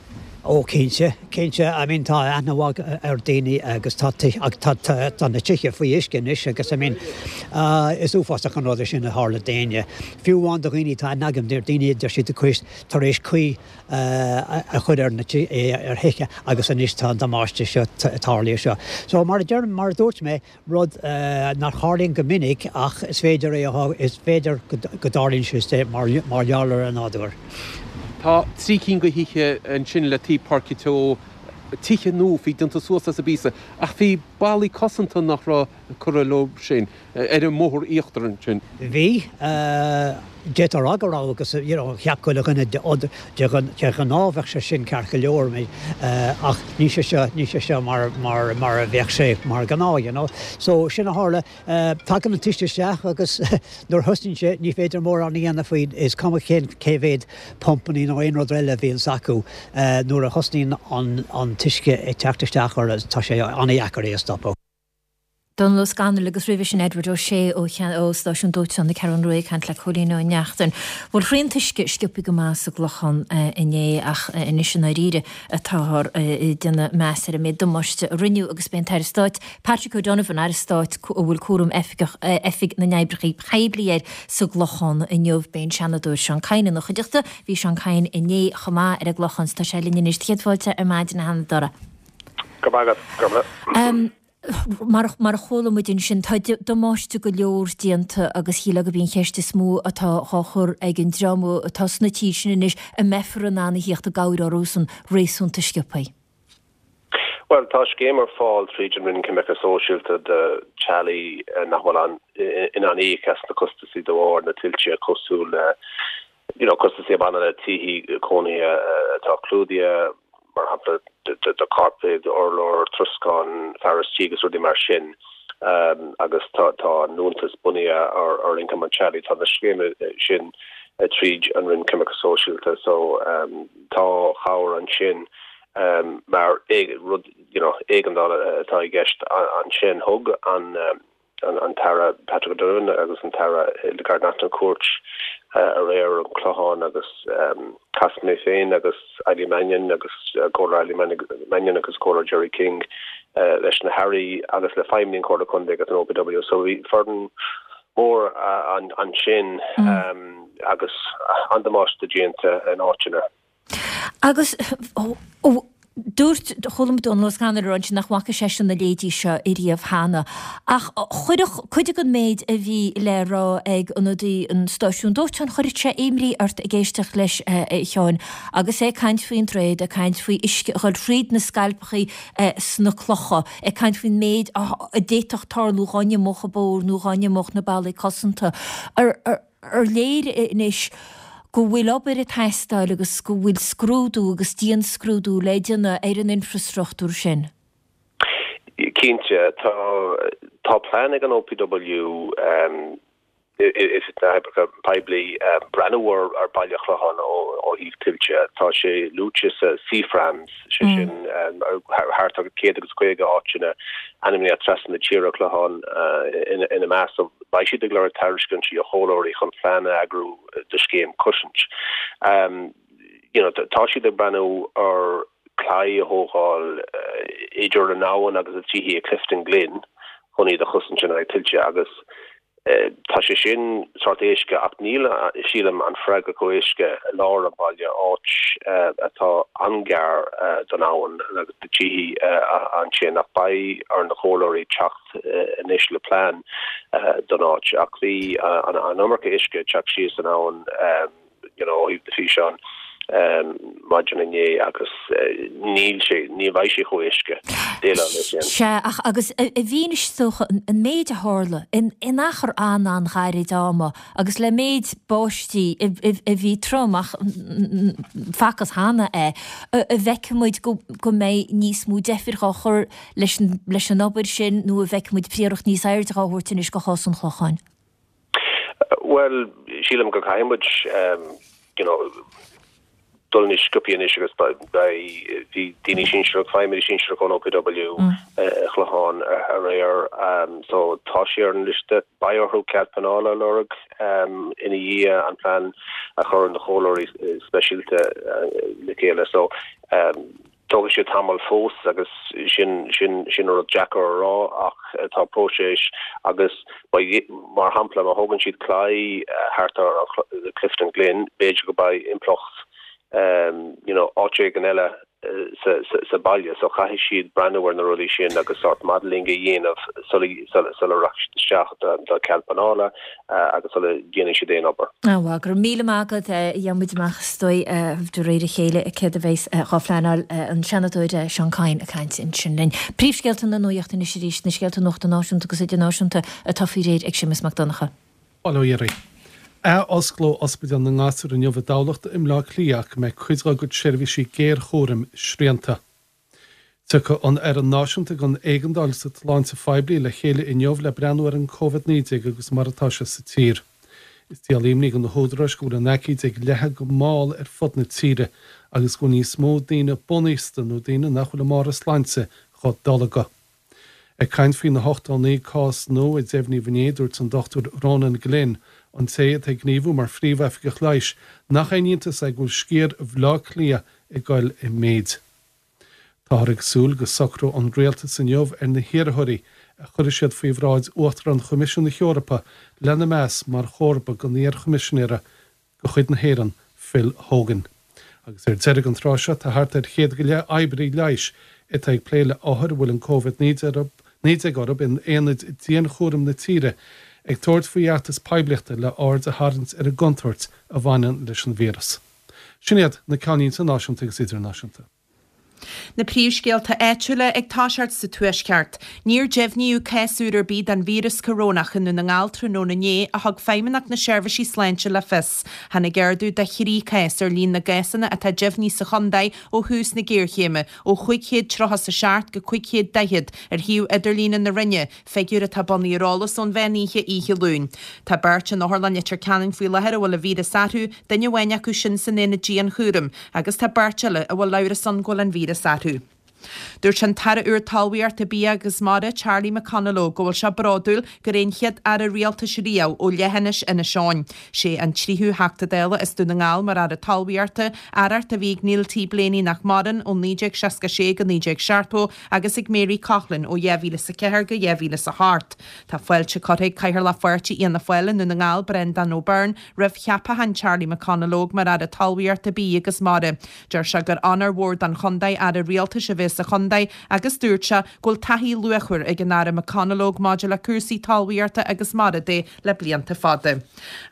Ó cinnte, cinnte. I mean tá aithne mhaith ar daoine agus tá tá tá na tithe faoi uisce anois agus I mean is uafásach an rud é sin a tharla d'éinne. Fiú amháin do dhaoine, tá aithne agam ar daoine a deir siad tar éis caoi a chur ar na ar thithe agus anois tá an damáiste seo tarlaithe seo. So mar a deir mar a dúirt mé, rud nach tharlaíonn go minic ach is féidir é a is féidir go dtarlaíonn sé mar mar gheall ar an nádúr. Tá 3 cinn de thithe ansin le taobh Páirce Teo, tithe nua, bhí déanta suas as an bpíosa ach bhí ballaí cosanta nach raibh curtha leo sin. ar an mbóthar íochtar ansin. Bhí. D'fhéadfá a rá go raibh agus you know cheap chuile dhuine de ghnáth bheadh sé sin ceart go leor ach níl sé seo, níl sé seo mar, mar, mar a bheadh sé mar ghnáth you know. So sin a tharla. Tagann an t-uisce isteach agus nuair a thosnaíonn sé ní féidir mórán a dhéanamh faoi, is cuma cén, cé mhéad pumpannaí nó aon rud eile a bhíonns acu, nuair a thosnaíonn an, an t-uisce ag teacht isteach orthu tá sé an-dheacair é a stopadh. Dónal Ó Scanaill agus roimhe sin Edward Ó Sé ó ó Stáisiún Dóiteáin na Ceathrún Rua ag caint le Cóilín Ó Neachtain. Bhuel shroich an t-uisce sciobthaí go maith sa gClochán inné ach anois i ndáiríre atáthar ag déanamh meas ar an méid damáiste a rinneadh agus beidh an tAire Stáit Patrick O'Donovan, Aire Stáit a bhfuil cúram oifigeach Oifig na nOibreacha Poiblí air sa gClochán inniu. Beidh an Seanadóir Seán Kyne ina chuideachta. Bhí Seán Kyne inné chomh maith ar an gClochán 's tá sé linn anois. Céad fáilte ar maidin a Sheanadóra. Go raibh maith agat. Go raibh maith. Mar a chuala muid ansin, tá damáiste go leor déanta agus shílfeá gurb í an cheist is mó atá dhá chur ag an dream atá sna tithe sin anois, an mbeifear in ann a thíocht i gcabhair orthusan réasúnta sciobthaí? Bhuel, tá scéim ar fáil tríd an Roinn Coimirce Sóisialta do teaghlaigh nach bhfuil in ann íoc as na costasaí de bharr na tuilte cosúil le you know, costasaí a bhaineann le tithe cónaithe atá clúdaithe, mar shampla, do chairpéid, urláir, troscán, fearas tí agus rudaí mar sin, agus tá an liúntas bunaithe ar ioncam an teaghlaigh. Tá na scéimeanna sin tríd an Roinn Coimirce Sóisialta so tá cabhair ansin mar rud, you know, éigeandála atá i gceist ansin. Thug an. an tAire Patrick O'Donovan agus an tAire Hildegarde Naughton cuairt aréir ar an Chlochán agus chas mé féin agus Eileen Mannion agus Comhairleoir Eileen Mannion agus Comhairleoir Gerry King. leis na hAirí agus le feidhmeannaigh an Chomhairle Contae agus an OPW. So bhí foireann mhór ansin agus an-damáiste déanta in áiteanna. Agus dúirt, chuala muid Dónal Ó Scanaill ag rá ansin nach bhfaca seisean a leithéidí seo ariamh cheana. Ach chuirfeadh cuid den méid a bhí le rá ag ionadaí an stáisiúin dóiteáin, chuirfeadh sé imní ort ag éisteacht leis a Sheáin agus é ag caint faoin droichead, ag caint faoi uisce a dhul thríd na scailpeachaí sna clocha, ag caint faoin méid a d'fhéadfadh tarlú dhá n-imeodh an bóthar nó dhá n-imeodh na ballaí cosanta. Ar léir anois go bhfuil obair ag teastáil agus go bhfuil scrúdú agus dianscrúdú le déanamh ar an infreastruchtúr sin? Cinnte. Tá tá plean ag an OPW, Oifig na nOibreacha Poiblí, breathnú ar Baile an Chlocháin ó thaobh tuilte. Tá sé luaite sa CFRAMS, sé sin thart ar 150 áiteanna ainmnithe trasna na tíre, Clochán ina measc. Beidh siad ag lorg tairiscintí ó chomhairleoirí chun plean a eagrú do scéim cosaint. You know, tá siad ag breathnú ar claí a thógáil idir an abhainn agus na tithe i Clifton Glen chun iad a chosaint in aghaidh tuilte agus tá sé sin sórt éasca ach níl, sílim, an freagra chomh héasca i lár an bhaile, áit atá an-ghar don abhainn agus do tithe ansin ach beidh ar na comhairleoirí teacht anois le plean don áit ach bhí an iomarca uisce ag teacht síos an abhainn you know ó thaobh na físeáin maidin inné agus níl sé, ní bheidh sé chomh héasca déileáil leis sin. Sea, ach agus i bhfianaise is dócha an méid a tharla in in achar an-an-ghairid ama agus le méid báistí a bhí trom ach facthas cheana é, an bhfeicfidh muid go go mbeidh níos mó deifir dhá chur leis leis an obair sin nó an bhfeicfidh muid príoracht níos airde dhá thabhairt anois do chás an Chlocháin? Bhuel, sílim go gcaithfidh muid you know dul níos sciobthaí anois agus beidh, bhí daoine sinsearach, feidhmeannaigh sinsearach ón OPW i Clochán aréir so tá sé ar an liosta. Beidh orthu cead pleanála a lorg ina dhiaidh an plean a chur na comhairleoirí speisialta le chéile so Tógfaidh sé tamall fós agus sin, sin, sin rud deacair a rá ach tá próiseas agus beidh, mar shampla, má thógann siad claí thart ar Clifton Glen, b'fhéidir go mbeidh impleacht you know áit éigin eile sa, sa, sa baile so caithfidh siad breathnú ar na rudaí sin agus sort modelling a dhéanamh sula, sula, sula rachaidh siad isteach do, do cead pleanála. agus sula ndéanfaidh siad aon obair. Bhuel, go raibh míle maith agat. Gheobhaidh muid amach is dóigh de réir a chéile céard a bheas dhá phleanáil. An Seanadóir Seán Kyne ag caint ansin linn. Príomhscéalta na nuachta anois arís, na scéalta nuachta náisiúnta agus idirnáisiúnta atá faoi réir ag Séamus Mac Donncha. Bail ó Dhia oraibh. Ath-osclóidh Ospidéal na nGasúr inniu i dTamhlacht i mBleá Cliath ach go mbeidh cuid dá gcuid seirbhísí géarchúraim srianta. Tiocfaidh an Fhoireann Náisiúnta don Éigeandáil sa tSláinte Phoiblí le chéile inniu le breathnú ar an Covid-19 agus mar atá sé sa tír. Is díol imní do na húdaráis go bhfuil an aicíd ag leathadh go mall ar fud na tíre agus go bhfuil níos mó daoine bunaosta nó daoine nach bhfuil i mbarr a sláinte dhá dtolgadh. Ag caint faoi na 89 cás nua a deimhníodh inné, dúirt an Dr Ronan Glynn, an té atá ag gníomhú mar phríomh-oifigeach leighis, nach aon iontas é go bhfuil sciar Bhaile Átha Cliath ag goil i méid. Táthar ag súil go socróidh an rialtas inniu ar na hiarrthóirí a chuirfidh siad faoi bhráid Uachtarán Choimisiún na hEorpa lena meas mar chomharba don iar-Choimisinéara de chuid na hÉireann, Phil Hogan. Agus ar deireadh an tráth seo tá thart ar chéad go leith oibrí leighis atá ag plé le othair a bhfuil an Covid-19 orthu in aonaid dianchúraim na tíre ag tabhairt faoi fheachtas poiblíochta le aird a tharraingt ar an gcontúirt a bhaineann leis an víreas. Sin iad na ceannlínte náisiúnta agus idirnáisiúnta. Na príomhscéalta áitiúla ag toiseacht sa Tuaisceart. Níor deimhníodh cás úr ar bith den víreas corónach i nDún na nGall tráthnóna inné, a thug Feidhmeannacht na Seirbhísí Sláinte le fios. Tháinig ardú de thrí chás ar líon na gcásanna atá deimhnithe sa chontae ó thús na géarchéime, ó 537 go 540 ar shuíomh idirlíne na Roinne, Figiúr atá bunaithe ar eolas ón mheán oíche oíche Luain. Tá beirt in Otharlann Leitir Ceanainn faoi láthair a bhfuil an víreas orthu, duine amháin acu sin san aonad dianchúraim, agus tá beirt eile a bhfuil amhras ann go bhfuil an víreas orthu. Dúirt an tAire úr Talmhaíochta, Bia agus Mara, Charlie McConalogue, go bhfuil sé bródúil gur é an chéad Aire Rialtais riamh ó leithinis Inis Eoghain. Sé an tríú Theachta Dála as Dún na nGall mar Aire Talmhaíochta, aireacht a bhí ag Neil T Blaney nach maireann, ó 1966 go 1970 agus ag Mary Coughlan ó 2004 go 2008. Tá fáilte curtha ag Cathaoirleach Pháirtí Fhianna Fáil i nDún na nGall, Breandán O'Byrne, roimh cheapachán Charlie McConalogue mar Aire Talmhaíochta, Bídh agus Mara. Deir sé gur onóir mhór don chontae Aire Rialtais a bheith sa chontae agus dúirt sé go bhfuil taithí luachmhar ag an Aire McConalogue maidir le cúrsaí talmhaíochta agus mara de le blianta fada.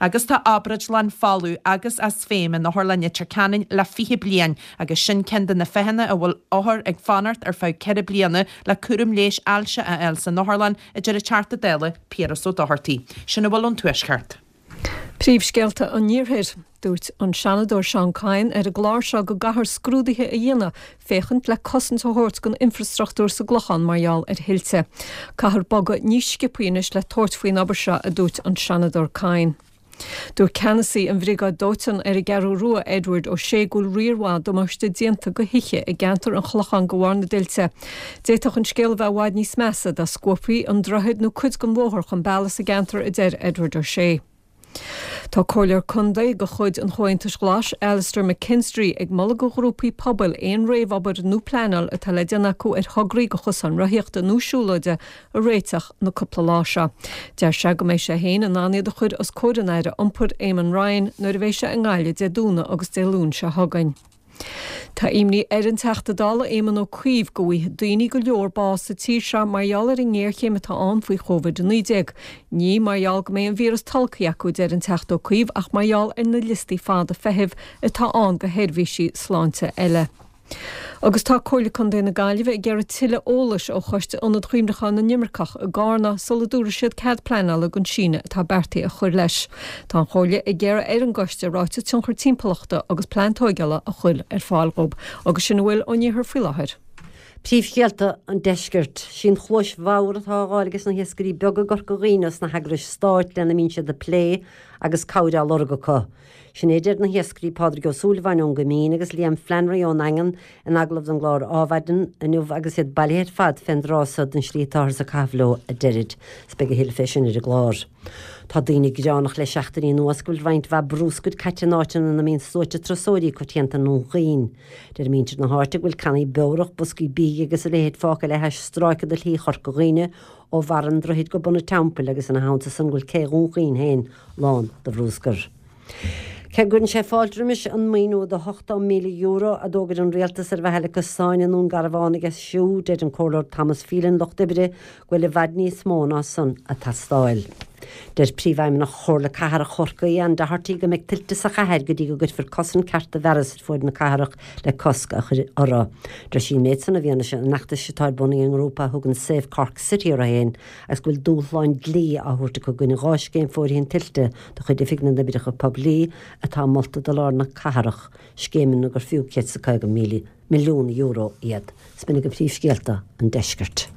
Agus tá obráidlann folamh agus as feidhm in Otharlann Leitir Ceanainn le 20 bliain agus sin ceann de na fáthanna a bhfuil othair ag fanacht ar feadh 4 bliana le cúram leighis ailse a fháil san otharlann, a deir an Teachta Dála Piaras Ó Dochartaigh. Sin a bhfuil ón Tuaisceart. Príomhscéalta an Iarthair. Dúirt an Seanadóir Seán Kyne ar an gclár seo go gcaithfear scrúduithe a dhéanamh féachaint le cosaint a thabhairt don infreastruchtúr sa gClochán mar gheall ar thuilte. Caithfear bogadh níos sciobthaí anois le tabhairt faoin obair seo, a dúirt an Seanadóir Kyne. Dúirt ceannasaí an Bhriogáid Dóiteáin ar an gCeathrú Rua, Edward Ó Sé, go bhfuil riar mhaith damáiste déanta do thithe i gceantar an Chlocháin de bharr na dtuilte. D'fhéadfadh an scéal a bheith i bhfad níos measa dá scuabfaí an droichead nó cuid den bhóthar chun bealaigh sa gceantar, a deir Edward Ó Sé. Tá Comhairleoir Contae de chuid an Chomhaontais Ghlais, Alastair McKinstry, ag moladh do ghrúpaí pobail aon réamhobair nó pleanáil atá le déanamh acu ar thograí do chosáin rothaíochta nó siúlóide a réiteach na cúpla lá seo. Deir sé go mbeidh sé féin in ann iad a chur os comhair an Aire Iompair, Eamon Ryan, nuair a bheidh sé i nGaillimh Dé Domhnaigh agus Dé Luain seo chugainn. Tá imní ar an Teachta Dála Éamon Ó Cuív go bhfaighidh daoine go leor bás sa tír seo mar gheall ar an ngéarchéim atá ann faoi Covid-19. Ní mar gheall go mbeidh an víreas tolgtha acu, a deir an Teachta Ó Cuív, ach mar gheall ar na liostaí fada feithimh atá ann do sheirbhísí sláinte eile. Agus tá Comhairle Contae na Gaillimhe ag iarraidh tuilleadh eolais ó Choiste Ionad Chuimhneacháin na nImirceach i gCarna sula dtabharfaidh siad cead pleanála don síneadh atá beartaithe a chur leis. Tá an Chomhairle ag iarraidh ar an gcoiste ráiteas tionchar timpeallachta agus plean tóigeála a chur ar fáil dhóibh. Agus sin a bhfuil ón iarthar faoi láthair. Príomhscéalta an Deiscirt. Sí an chluais bhodhar atá á fháil ages na hiascairí beaga i gCorca Dhuibhne os na heagrais stáit lena mbíonn siad ag plé agus cabhair á lorg acu. Sin é a deir na hiascairí Pádraig Ó Súilleabháin ón gCoimín agus Liam Flannery ón nDaingean in agallamh don gclár Ádhmhaidin inniu agus iad bailithe ar fad fén dtráth so den slí atáthar ag caitheamh leo a deirid. 'S beidh a thuilleadh fé sin ar an gclár. Tá daoine gearánach le seachtainí anuas go bhfuil roinnt mhaith brúscair caite in áiteanna ina mbíonn sluaite turasóirí coitianta i nDún Chaoin. Deir muintir na háite go bhfuil cannaí beorach, boscaí bídh agus a leithéid fágtha le hais stráice de shlí Chorca Dhuibhne ó bharr an droichid go bun an Teampaill agus ina theannta san go bhfuil cé Dhún Chaoin féin lán de bhrúscar. Cé go gcuireann sé fáilte roimis an maoiniú de €80,000 a d'fhógair an Rialtas ar mhaithe le cosáin i nDún Garbhán a dheisiú, deir an Comhairleoir Thomas Phelan, Lucht Oibre, go bhfuil i bhfad níos mó ná san ag teastáil. Deir Príomhfheidhmeannach Chomhairle Cathrach Chorcaí, Ann Doherty, go mbeidh tuilte sa chathair go dtí go gcuirfear cosaint ceart do fhearas ar fuaid na cathrach le cosc a chur orthu. Deir sí an méid san i bhfianaise an fheachtais atá ar bun ag an ngrúpa a thugann Save Cork City orthu féin agus go bhfuil dúshlán dlí á thabhairt acu i gcoinne 2 scéim fóirithint tuilte de chuid Oifig na nOibreacha Poiblí atá molta do lár na cathrach, scéimeanna gur fiú €150 milliún iad. 'S b'in agaibh príomhscéalta an deiscirt.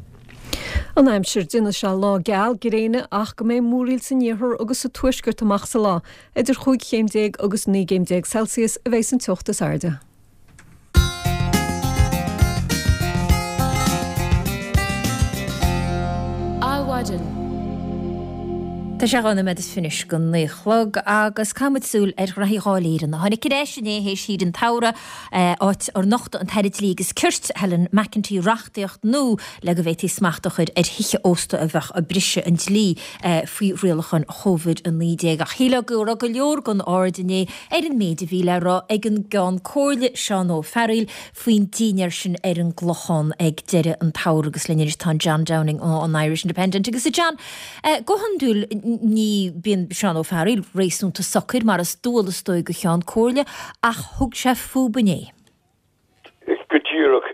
An aimsir, Déanfaidh sé lá geal gréine ach go mbeidh múraíl san iarthar agus sa tuaisceart amach sa lá. Idir chúig chéim déag agus 19 gcéim Celsius a bheidh san teocht is airde. Adhmhaidin. Tá sé 2 nóiméad is fiche go 9 a chlog agus caithfidh muid súil ar ghraithí Dháil Éireann a tháinig ar ais inné théis shaoire an tsamhraidh, áit ar nocht an tAire Dlí agus Cirt, Helen McEntee, reachtaíocht nua le go bhféadfaí smacht a chur ar thithe ósta a bheadh ag briseadh an dlí faoi rialacháin Covid-19. Ach shílfeá go raibh go leor den aird inné ar an méid a bhí le rá ag an gCeann Comhairle, Seán Ó Fearghaíl, faoin dinnéar sin ar an gClochán ag deireadh an tsamhraidh agus linn anois tá an John Downing ón Irish Independent agus a John, go hiondúil ní bíonn Seán Ó Fearghaíl réasúnta socair mar is dual is dóigh do Cheann Comhairle ach thug sé fúb inné. Go díreach.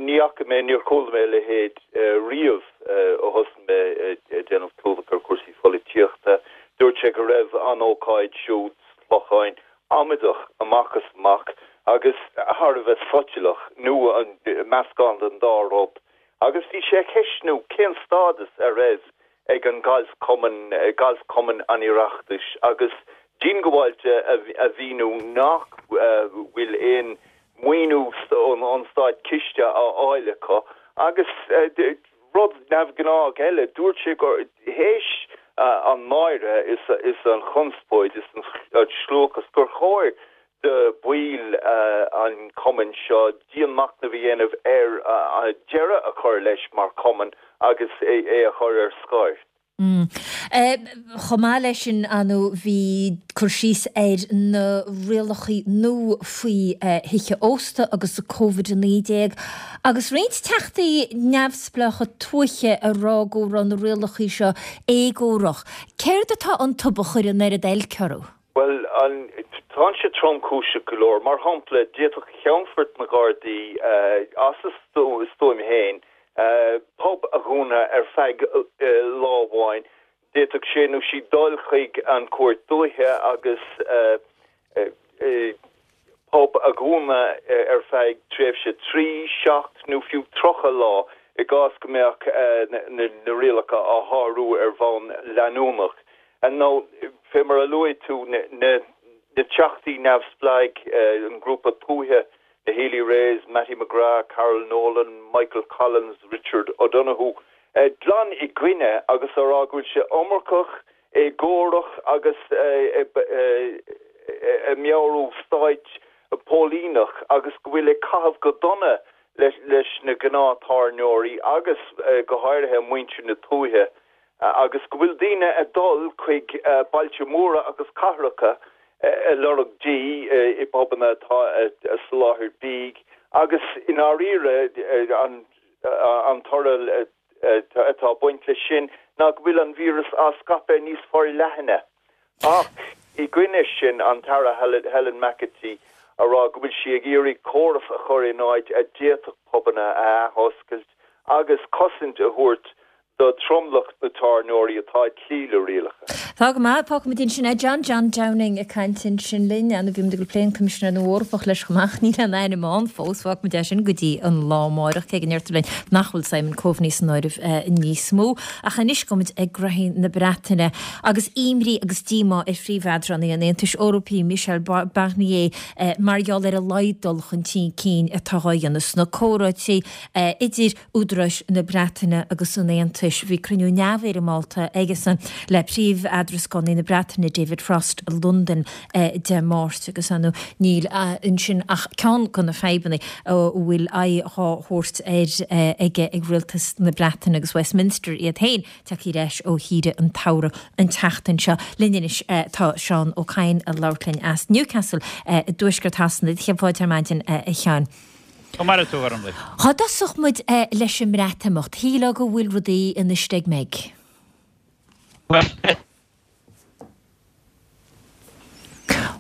Ní fhaca mé, níor chuala mé a leithéid riamh ó thosaigh mé ag déanamh clúdach ar chúrsaí pholaitíochta. Dúirt sé go raibh an ócáid siúd sa Chlochán amaideach amach is amach agus thar a bheith soicheallach, nó meascán den dá rud. Agus bhí sé ag ceistniú cén stádas a raibh ag an Galfchumann, Galfchumann an Oireachtais, agus diongbháilte a mhíniú nach bhfuil aon mhaoiniú ón. ón Stát ciste á fháil acu agus rud neamhghnách eile, dúirt sé gur théis an náire is an chonspóid is an scliúchas gur chóir do bhaill an chumainn seo dianmhachnamh a dhéanamh ar deireadh a chur leis mar chumann agus é a chur ar scor. Chomh maith leis sin, ar ndóigh, bhí cur síos ar na rialacha nua faoi thithe ósta agus Covid-19 agus roinnt teachtaí neamhspleácha tuaithe ag rá go raibh na rialacha seo éagórach. Céard atá iontu a chuir an oiread oilc orthu? Bhuel, tá sé tromchúiseach go leor. Mar shampla, d'fhéadfadh Ceannfort na nGardaí, as a stuaim féin, pub a dhúnadh ar feadh lá amháin. D'fhéadfadh sé nó sí dul chuig an Chúirt Dúiche agus pub a dhúnadh ar feadh tréimhse 3, 7 nó fiú 30 lá i gcás go mbeadh na rialacha á shárú ar bhonn leanúnach. Nó, fé mar a luaigh tú, na teachtaí neamhspleáigh, an grúpa tuaithe, na Healy-Raes, Mattie McGrath, Carol Nolan, Michael Collins, Richard O'Donoghue, glan i gcoinne agus á rá go bhfuil sé iomarcach, éagórach agus ag meabhrú stáit póilíneach agus go bhfuil ag caitheamh go dona leis na gnáth-tábhairneoirí agus go háirithe muintir na tuaithe. agus go bhfuil daoine ag dul chuig bailte móra agus cathracha ag lorg dí i bpubanna atá ag soláthar bídh agus i ndáiríre an toradh atá ag baint leis sin ná go bhfuil an víreas á scaipeadh níos forleithne. Ach i gcoinne sin, an tAire Helen McEntee a rá go bhfuil sí ag iarraidh córas a chur in áit a d'fhéadfadh pubanna a athoscailt agus cosaint a thabhairt do tromlach na tábhairneoirí atá ag cloí le rialacha. Tá go maith, fágfaimid ansin é. John John Downing ag caint ansin linn. Bhí muid ag plé an Coimisinéir nua Eorpach leis chomh maith ach níl aon ainm ann fós. Fágfaimid é sin go dtí an lá amárach, cé go ndeirtear linn nach bhfuil Simon Coveney san áireamh níos mó. Ach anois gabhfaimid ag graithí na Breataine agus imní agus díomá ar phríomhleadránaí an Aontais Eorpaigh, Michel Barnier, mar gheall ar a laghad dul chun cinn atá á dhéanamh sna comhráití idir údaráis na Breataine agus an Aontais. Bhí cruinniú neamhfhoirmeálta aigesan le príomh-eadrascánaí na Breataine, David Frost, i Londain Dé Máirt agus ar ndóigh níl ansin ach ceann de na fadhbanna a bhfuil aghaidh á thabhairt air aige ag rialtas na Breataine agus Westminster iad féin tagtha ar ais ó shaoire an tsamhraidh an tseachtain seo. Linn anois tá Seán Ó Cadhain ag labhairt linn as Newcastle i dtuaisceart Shasana. Cén fáth ar maidin, a Sheáin? Go maire tú, a Ghormlaith. Dhá dtosódh muid leis an mBreatimeacht, shílfeá go bhfuil rudaí ina steig-meig.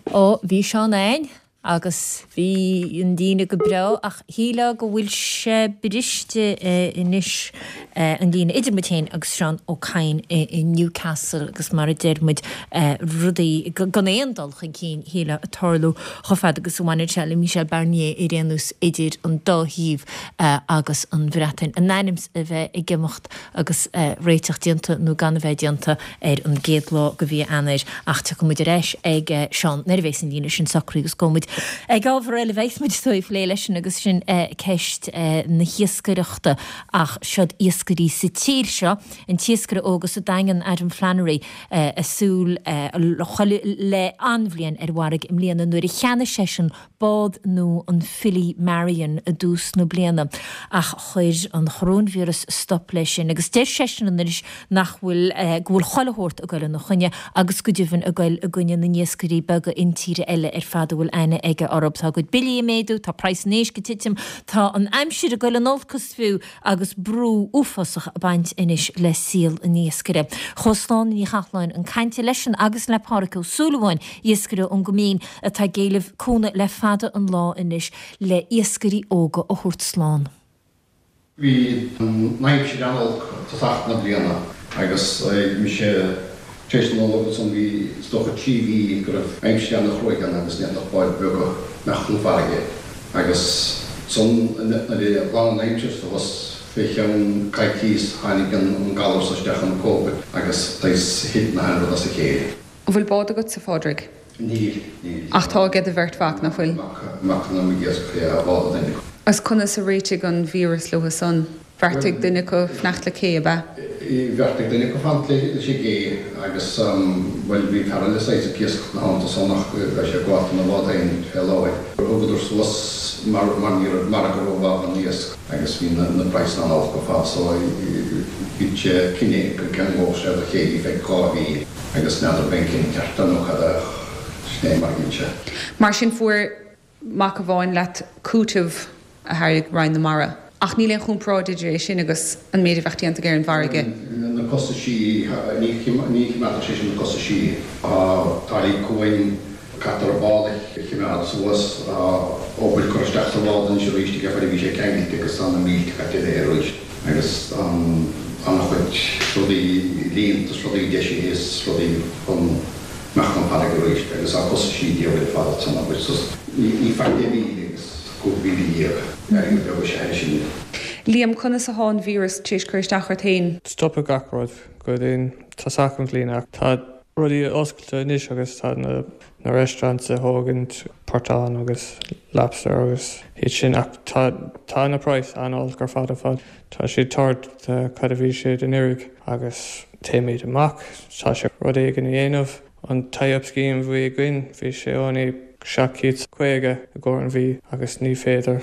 Ó, bhí Seán a'inn agus bhí an líne go breá ach shílfeá go bhfuil sé briste anois, an líne idir muid féin agus Seán Ó Cadhain i Newcastle agus mar a deir muid, rudaí gan aon dul chun cinn, shílfeá, ag tarlú chomh fada agus a bhaineann sé le Michel Barnier ar aon nós idir an dá thaobh agus an Bhreatain in ainm is a bheith ag imeacht agus réiteach déanta nó gan a bheith déanta ar an gcéad lá de mhí Eanáir. Ach tiocfaidh muid ar ais ag Seán nuair a bheas an líne sin socraithe agus gabhfaidh muid ag ábhar eile a bheas muid is dóigh ag plé leisean agus sin ceist na hiascaireachta ach siod iascairí sa tír seo, an t-iascaire óg as an Daingean, Adam Flannery, ag súil le an-bhliain ar an bhfarraige i mbliana nuair a cheannaigh seisean bád nua an Philly Marian i dtús na bliana ach chuir an choróinvíreas stop leis sin agus deir seisean anois nach bhfuil go bhfuil chuile shórt ag goil ina choinne agus go deimhin ag goil i gcoinne na n-iascairí beaga intíre eile ar fad a bhfuil aithne aige orthu. Tá a gcuid billí ag méadú, tá praghas an éisc ag titim, tá an aimsir ag goil in olcas fiú agus brú uafásach ag baint anois le saol an iascaire. Chuaigh Sláine Ní Chathalláin chun cainte leisean agus le Pádhraic Ó Súilleabháin, iascaire ón gCoimín atá ag éileamh cúnamh le fada an lá anois le iascairí óga a thabhairt slán. Bhí an aimsir an-olc tosach na bliana agus mise tar éis na Nollag ansan bhí is dócha 3 mhí go raibh aimsir an-chruaidh ann agus ní fhéadfadh báid bheaga imeacht chun farraige agus ansan nuair a ghlan an aimsir suas fé cheann coicíos tháinig an galar so isteach an Covid agus saghas thit na haon rud as a chéile. An bhfuil bád agatsa, a Phádraig? Níl, níl. Ach tá aige do bheirt mhac, nach bhfuil? Mac, mac liom ag iascach, yeah, bád an duine acu. Agus conas a réitigh an víreas leo san? Bheartaigh duine acu fanacht le cé, ab ea? Bheartaigh duine acu fanacht leis an gcé agus, bhuel, bhí fear eile saghas ag iascach ina theannta san ach bhí sé ag gabháil dona bhád féin fé láthair. Thugadar suas mar mar ní raibh margadh rómhaith don iasc agus bhí na praghsanna an-olc ar fad so bhí sé cinneadh go gceanglódh sé do chéile feadh 2 mhí agus n'fheadar ab é an cinneadh ceart é nó cad é ach sin é mar a dhein sé. Mar sin fuair mac amháin leat cúiteamh a thairg Roinn na Mara. Ach níl aon chomparáid idir é sin agus an méid a bheadh déanta aige ar an bhfarraige. Na costaisí, ní choimeádfadh sé sin na costaisí. Tá táillí cuain, caithfear an bád a choimeád suas, tá obair curtha isteach sa bhád anois arís aige fad a bhí sé ceangailte agus tá na mílte caite léi arís agus tá an-chuid rudaí líonta is rudaí deisithe is rudaí chun imeacht chun farraige arís agus tá costaisí diabhail ar fad san obair so ní faic é 1,000 agus 15,000, airgead beag is ea é sin. Liam, conas athá an víreas tar éis cur isteach ort fhéin? Stopadh gach rud go dtí tosach an bhliain ach tá rudaí oscailte anois agus tá na na restaurants ag thógaint portán agus lobster agus iad sin ach tá tá na price an-olc ar fad ar fad. Tá siad third de cad a bhí siad anuraidh agus téimid amach, tá sé rud éigin a dhéanamh. An tie-up scheme a bhí againn, bhí sé only 750 i gcomhair an mhí agus ní féidir,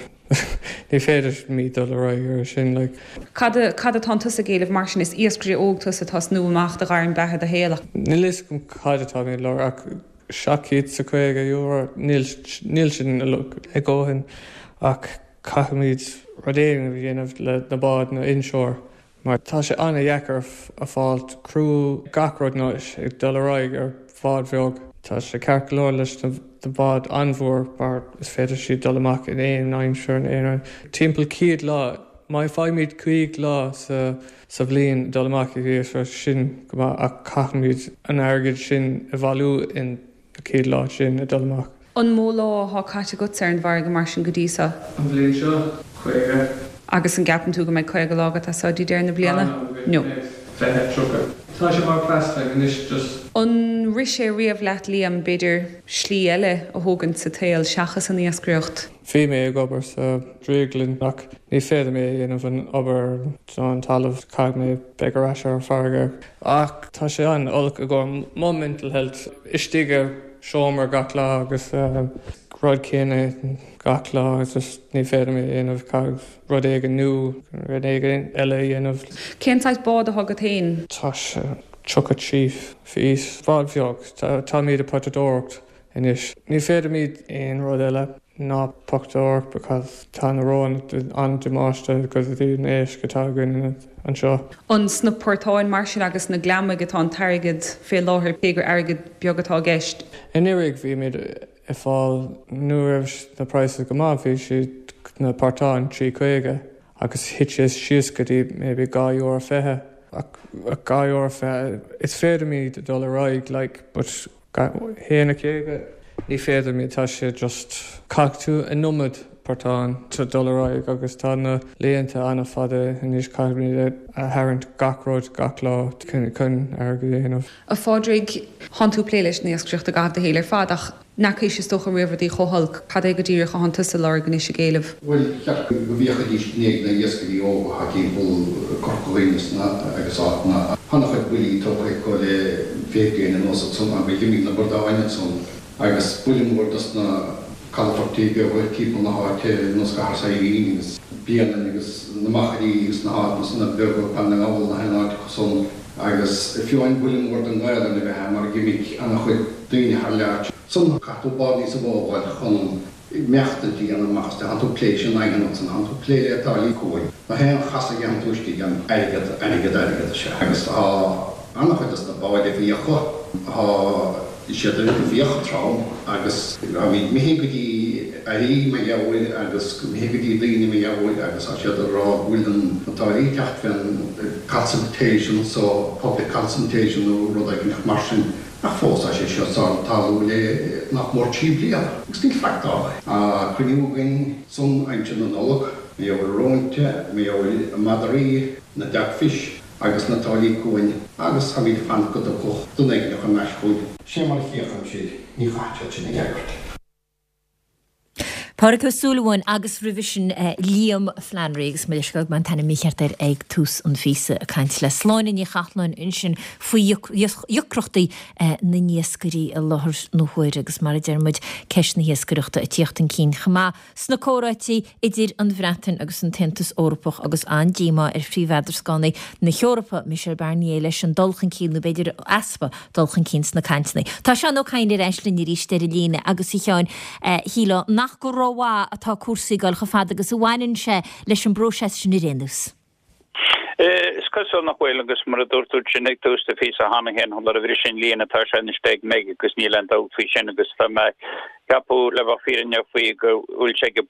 ní féidir mí dul ar aghaidh ar sin like. Cad, cad atánn tusa ag éileamh mar sin? Is iascaire óg tusa atá ag snú amach do ghairm beatha do shaol ach. Níl fhios agam cad atá mé ag lorg ach €750, níl, níl sin a dhóthain ach Caithfimid rud éigin a dhéanamh le na báid na inshore mar tá sé an-dheacair a fáil crew gach rud anois ag dul ar aghaidh ar bhád bheag. Tá sé ceart go leor leis na báid an-mhór mar is féidir siad dul amach in aon aimsir in aon rud. Timpeall 100 lá, má faighimid 50 lá sa sa bhliain dul amach ag iascaireacht sin go maith ach caithfimid an airgead sin a bhailiú in na 100 lá sin ag dul amach. An mó lá athá caite agatsa ar an bhfarraige mar sin go dtí seo? An bhliain seo, 50. Agus an gceapann tú go mbeidh 50 lá agat as seo dtí deireadh na bliana? Ah no, beidh 20, 30. Tá sé mar pastime anois just. An rith sé riamh leat Liam, b'fhéidir, slí eile a thógaint sa tsaol seachas an iascaireacht? Bhí mé ag obair sa drioglann ach ní féidir mé a dhéanamh an obair ar an talamh, caithfidh mé beidh ar ais ar an farraige. Ach tá sé an-olc i gcomhair mo mental health, istigh i seomra gach lá agus rud céanna gach lá just ní féidir mé a dhéanamh, caithfidh rud éigin nua, rud éigin eile a dhéanamh. Cén saghas bád atá agat féin? Tá sé 33 feet, bád bheag, táimid ag potadóireacht anois. Ní féidir aon rud eile ná pochtadóireacht because tá na róin an-damáiste go dtí an éisc atá againn anseo. An sna portáin mar sin agus sna gliomaigh atá an t-airgead fé láthair, cé gur airgead beag atá i gceist? Anuraidh bhí muid ag fáil, nuair a raibh na prices go maith, bhí siad na portáin 3.50 agus thit sé síos go dtí maybe €2.20 ach €2.20 is féidir dul ar aghaidh like but 1.50. Ní féidir mé, tá sé just, caithfidh tú an iomad portán to dul ar aghaidh agus tá na laethanta an-fhada anois, caithfimid a tharraingt gach rud gach lá chun airgead a dhéanamh. A Phádraig, thánn tú ag plé leis an iascaireacht i gcaitheamh do shaoil ar fad ach n'fheacaís is dócha riamh rudaí chomh holc. Cad é go díreach a thánn tusa ag lorg anois ag éileamh? Bhuel, cheart go bhféachfaidís i ndiaidh na iascairí óga atá timpeall Corca Dhuibhne agus áiteanna. Tá an-chuid buillí tógtha acu le 20 bliain anuas ansan agus d'imigh na bradáin ansan agus buille mór dos na calafoirtí beaga timpeall na háite ar nós Cathair Saidhbhín agus Bréanainn agus na Machairí agus na háiteanna san beaga Baile na nGall na haon áit acu san agus fiú amháin buille mór don Ghaelainn a bheith ann mar d'imigh an-chuid daoine thar lear. San caithfidh tú bád níosa mhó a fháil chun imeachtaint a dhéanamh amach as tánn tú ag plé leis an nDaingean ansan, tánn tú ag plé le táillí cuain. Gach aon chasadh a dhéanann tú istigh ann, airgead, airgead, airgead is ea. Agus tá an-chuid dos na báid i bhfiacha, tá siad i bhfiacha trom agus táimid imithe go dtí airí mar gheall air agus imithe go dtí daoine mar gheall air agus tá siad ag rá go bhfuil na táillí ag teacht fén consultation so, public consultation nó rud éigin mar sin. Ach fós tá sé seo ag tarlú le nach mór 3 bliana agus níl faic tarlaithe. Tá cruinniú againn san aimsir na Nollag, mar gheall ar róinte, mar gheall ar madraí, na dogfish agus na táillí cuain agus táimid ag fanacht go dtiocfadh duine éigin thar n-ais chugainn. Sé mar a chíochaim siad, ní chaithfidh siad sin a fhreagairt. Pádraig Ó Súilleabháin agus roimhe sin Liam Flannery agus mo leithscéal go raibh mé an t-ainm mícheart air ag tús an phíosa ag caint le Sláine Ní Chathalláin ansin faoi dheacrachtaí na n-iascairí i láthair na huaire agus mar a deir muid ceist na hiascaireachta ag tíocht chun cinn chomh maith sna comhráití idir an Bhreatain agus an tAontas Eorpach agus an-díomá ar phríomh-eadrascánaí na hEorpa, Michel Barnier, leis an dul chun cinn, nó b'fhéidir easpa dul chun cinn sna cainteanna. Tá Seán Ó Cadhain ar ais linn arís ar an líne agus a Sheáin, shílfeá nach go rómhaith atá cúrsaí ag dul chomh fada agus a bhaineann sé leis an bpróiseas sin ar aon nós. Is cosúil nach bhfuil, agus mar a dúirt tú ansin ag tús do phíosa cheana féin, sula bhris an líne, tá sé anois ag Meg agus níl aon dabht faoi sin agus tá mé ag ceapadh, le bheith fírinneach faoi, go bhfuil sé ag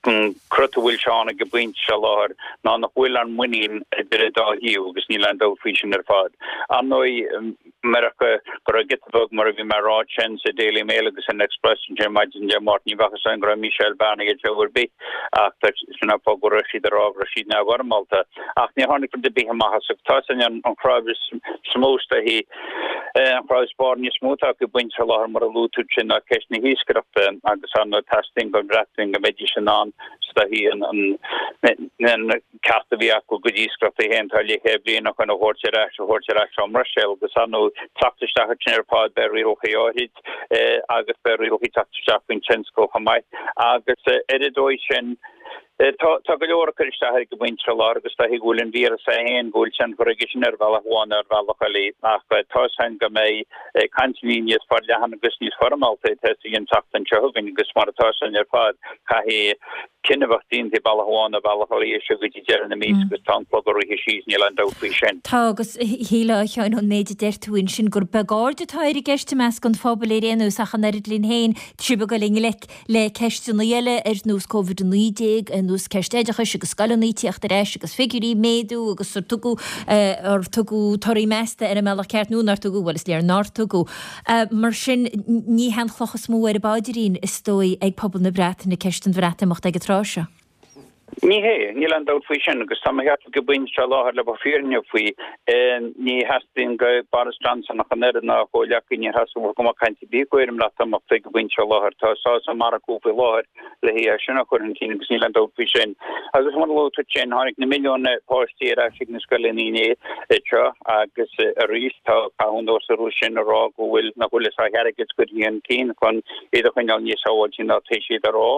an crot a bhfuil sé ann ag an bpointe seo i láthair ná nach bhfuil an muinín idir an dá thaobh agus níl aon dabht faoi sin ar fad. Ar ndóigh, Murach go raibh giota beag, mar a bhí mé a rá ansin sa Daily Mail agus san Express ansin maidin Dé Máirt, ní bheadh fhios againn go raibh Michel Barnier ag ar bith ach sin an fáth go raibh siad ag rá go raibh siad neamhfhoirmeálta. Ach níor tháinig rud ar bith amach as agus tá sin an chraobh is mó is dóichí, an chraobh is bairnigh is mó atá acu ag baint faoi láthair mar a luaigh tú ansin ná ceist na hiascaireachta agus ar ndóigh teastaíonn ón Bhreatain go mbeidís in ann is dóichí an ceart a bhí acu a gcuid iascaireachta féin atá leathchéad bliain ó shin a thabhairt ar ais, a thabhairt ar ais ón mBruiséil agus ar ndóigh teacht isteach ansin ar fad beidh rialacha áirid agus beidh rialacha teacht isteach faoin tionscal chomh maith agus ar an dóigh sin tá tá go leor ag cur isteach ar an bpointe seo i láthair agus is dóichí go bhfuil an víreas é féin go bhfuil tionchar aige sin ar bhealach amháin nó ar bhealach eile ach tá 'fhios a'inn go mbeidh cainteanna níos forleathan agus níos foirmeálta ag tosaí an tseachtain seo chugainn agus mar atá 'fhios a'inn ar fad caithfidh cinneadh a bheith déanta bealach amháin nó bealach eile as seo go dtí deireadh na míosa agus tá an clog ag rith síos, níl aon dabht faoi sin. Tá, agus shílfeá, a Sheáin, ón méid a deir tú ansin gur beag aird atá ar an gceist i measc an phobail ar aon nós ach an oiread linn féin, sibh ag dul i ngleic le ceisteanna eile ar nós Covid-19, ar nós ceist oideachais agus scoileanna ag tíocht ar ais agus figiúirí ag méadú agus ar tugadh, ar tugadh torthaí measta ar an mbealach ceart nó nár tugadh, bhuel is léir nár tugadh. Mar sin, ní hé an chloch is mó ar a bpaidrín, is dóigh, ag pobal na Breataine ceist an Bhreatimeachta ag an tráth seo. Ní hé, níl aon dabht faoi sin, agus tá mé ag ceapadh ag an bpointe seo i láthair le bheith fírinneach faoi, ní theastaíonn go Boris Johnson ach an oiread ná a chomhghleacaí, ní theastaíonn go mbeadh caint ar bith acu ar an mBreatimeacht ag an bpointe seo i láthair. Tá sásamh maith acu faoi láthair le é sin a chur chun cinn agus níl aon dabht faoi sin. Agus mar a luaigh tú ansin, tháinig na milliúin páistí ar ais ag na scoileanna inné seo agus arís tá caitheamh anuas orthu sin a rá go bhfuil nach bhfuil a sáith airgid curtha chun cinn chun iad a choinneáil níos sábháilte ná tá siad a rá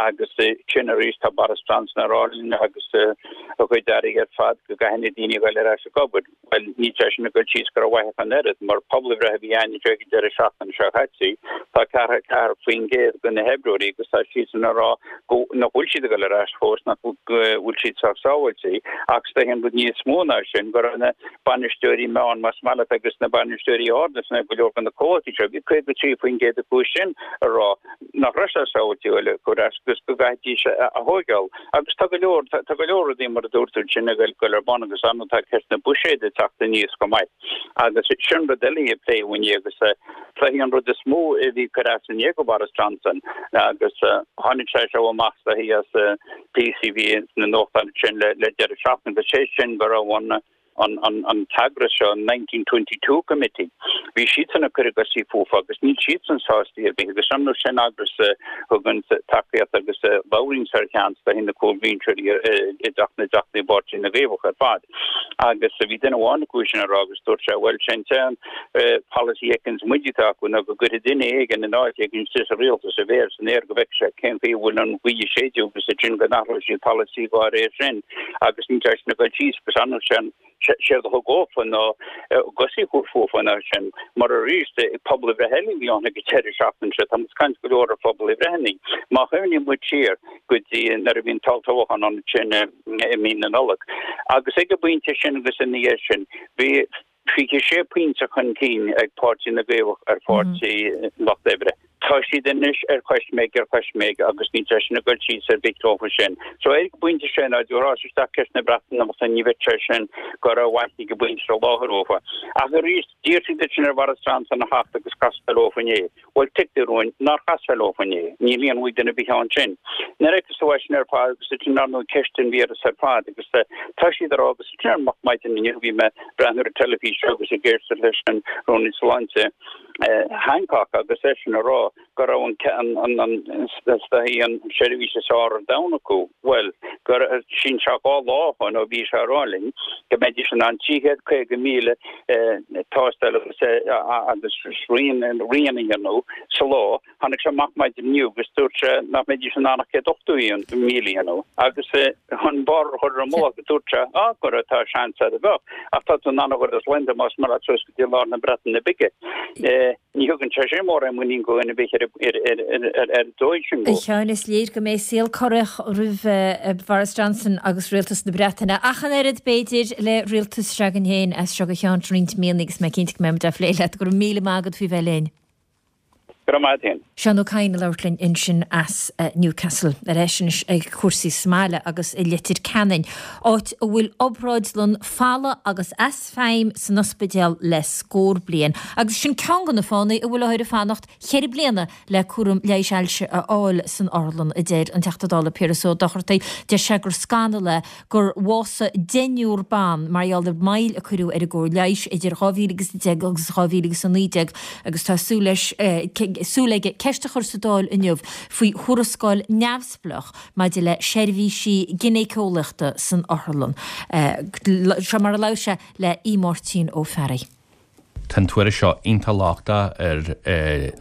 agus sin arís tá Boris Johnson a rá linn agus a chuid airí ar fad go gcaithfidh na daoine a ghoil ar ais ag obair. Bhuel, níl sé sin ag dul síos go rómhaith ach an oiread, mar pobalbhreith a bhí ann anseo ag an deireadh seachtaine seo caite, tá 44% de na hoibreoirí agus tá siadsan ag rá go nach bhfuil siad ag dul ar ais fós, nach bhfuil siad sách sábháilte. Ach is dóiche an rud níos mó ná sin, go raibh na bainisteoirí meán, más maith leat, agus na bainisteoirí arda sna go leor de na comhlachtaí seo, bhí 53% acu sin ag rá nach raibh sé sábháilte a dhul ar ais agus go gcaithfidís a thóigeáil. Agus tá go leor, tá go leor rudaí mar a dúirt tú ansin ag dul ar bun agus ar ndóigh tá ceist na buiséid ag teacht aníos chomh maith. Agus sin rud eile a pléadh inné agus pléadh an rud is mó a bhí ag cur as inné go Boris Johnson agus tháinig sé seo amach is dóichí as píosaí a bhí sna nuachtáin ansin le deireadh seachtaine agus sé sin go raibh an an t-eagras seo, an 1922 Committee, bhí siadsan ag cur a gcosaí fúthu agus níl siadsan sásta ar bith agus ar ndóigh sin eagras a thugann tacaíocht agus a labhraíonn ar cheann is dóichí na cúlbhinseoirí i dTeach na dTeachtaí i bPáirtí na gCaomhach ar fad. Agus bhí duine amháin acu sin ag rá agus dúirt sé, bhuel, sé an t-aon pholasaí a fheiceanns muid atá acu ná go gcuirfidh duine éigin in áit éigin istigh sa rialtas a mhéar san aer go bhfeicfidh sé cén chaoi a bhfuil an ghaoth ag séideadh agus ansin go n-athróidh siad polasaí dá réir sin. agus níl sé sin ag dul síos agus ar ndóigh sin séard a thug dhófa ná a gcosaí a chur fúthu ná sin mar arís pobalbhreith eile a bhí ann ag an deireadh seachtaine seo tá muid ag caint go leor ar phobalbhreitheanna. Má chuimhníonn muid siar go dtí nuair a bhí an t-olltoghchán ann ansin i mí na Nollag agus ag an bpointe sin agus ina dhiaidh sin bhí 26 pointe chun cinn ag Páirtí na gCaomhach ar Pháirtí Lucht Oibre. Tá siad anois ar choisméig ar choisméig agus níl sé sin ag dul síos ar bith leofa sin. So ag an bpointe sin, dá dtabharfá isteach ceist na Breatimeachta ní bheadh sé sin go rómhaith ag an bpointe seo i láthair dhófa. Ach arís, d'iarr siad ansin ar Bhoris Johnson a theacht agus castáil leofa inné. Bhuel, tuigtear dúinn nár chas sé leofa inné. Níl aon mhaith duine ar bith ann sin. Nuair a fheiceas tú é sin ar fad agus ansin ar ndóigh ceist an víreas ar fad agus tá siad ag rá agus ansin ar moch maidin inniu bhí mé ag breathnú ar an teilifís agus ag éisteacht leis an Rúnaí Sláinte. Hancock agus eisean ag rá go raibh an an an seirbhís is fearr ar domhan acu, bhuel, gur sin seo 2 lá ó shoin ó bhí sé ag rá linn go mbeidís in ann 350,000 tástáil agus agus srian a dhéanamh sa lá. Tháinig sé amach maidin inniu agus dúirt sé nach mbeidís in ann ach 180,000 a dhéanamh agus chun barr a chur ar an mullach dúirt sé á go raibh tá seans ar a bheadh ach tá tú in ann a dhul as Londain más maith leat suas go dtí lár na Breataine Bige. Ní thugann sé sin mórán muinín do dhuine ar bith ar an dóigh sin. A Sheáin, is léir go mbeidh saol corraitheach roimh Boris Johnson agus rialtas na Breataine, ach an oiread, b'fhéidir, le rialtas s'againn féin as seo go ceann roinnt míonna agus mé cinnte go mbeidh muid á phlé leat. Go raibh míle maith agat faoi bheith linn. Go raibh maith agat féin. Seán Ó Cadhain ag labhairt linn ansin as Newcastle. Ar ais anois ag cúrsaí sa mbaile agus i Leitir Ceanainn, áit a bhfuil obráidlann folamh agus as feidhm san ospidéal le scór bliain. Agus sin ceann de na fáthanna a bhfuil othair ag fanacht cheithre bliana le cúram leighis ailse a fháil san otharlann, a deir an Teachta Dála Piaras Ó Dochartaigh. Deir sé gur scannal é gur bhásaigh deichniúr ban mar gheall ar mhoill a cuireadh ar a gcóir leighis idir 2010 agus 2019 agus tá súil leis, súil aige ceist a chur sa Dáil inniu faoi thuarascáil neamhspleách maidir le seirbhísí ginéiceolaíochta san otharlann. Seo mar a labhair sé le Aodh Máirtín Ó Fearraigh. Tá an tuairisc seo iontach lochtach ar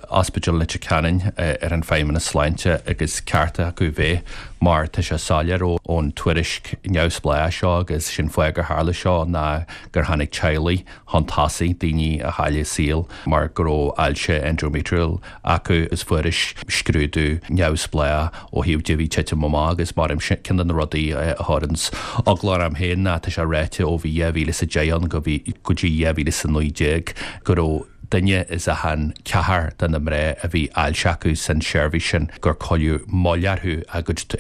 Ospidéal Leitir Ceanainn, ar an Feidhmeannas Sláinte agus ceart acu bheith mar tá sé soiléir ón tuairisc neamhspleách seo agus sin fáth gur tharla seo ná gur tháinig teaghlaigh chun tosaigh, daoine a chaill a saol mar go raibh ailse endometrial acu agus fuarthas scrúdú neamhspleách ó thaobh de bhí titim amach agus mar ceann de na rudaí a chuireanns eagla orm féin ná tá sé ráite ó bhí 2010 ann go bhí go dtí 2019 go raibh duine as achan ceathrar de na mná a bhí ailse acu san seirbhís sin gur cuireadh moill orthu a gcuid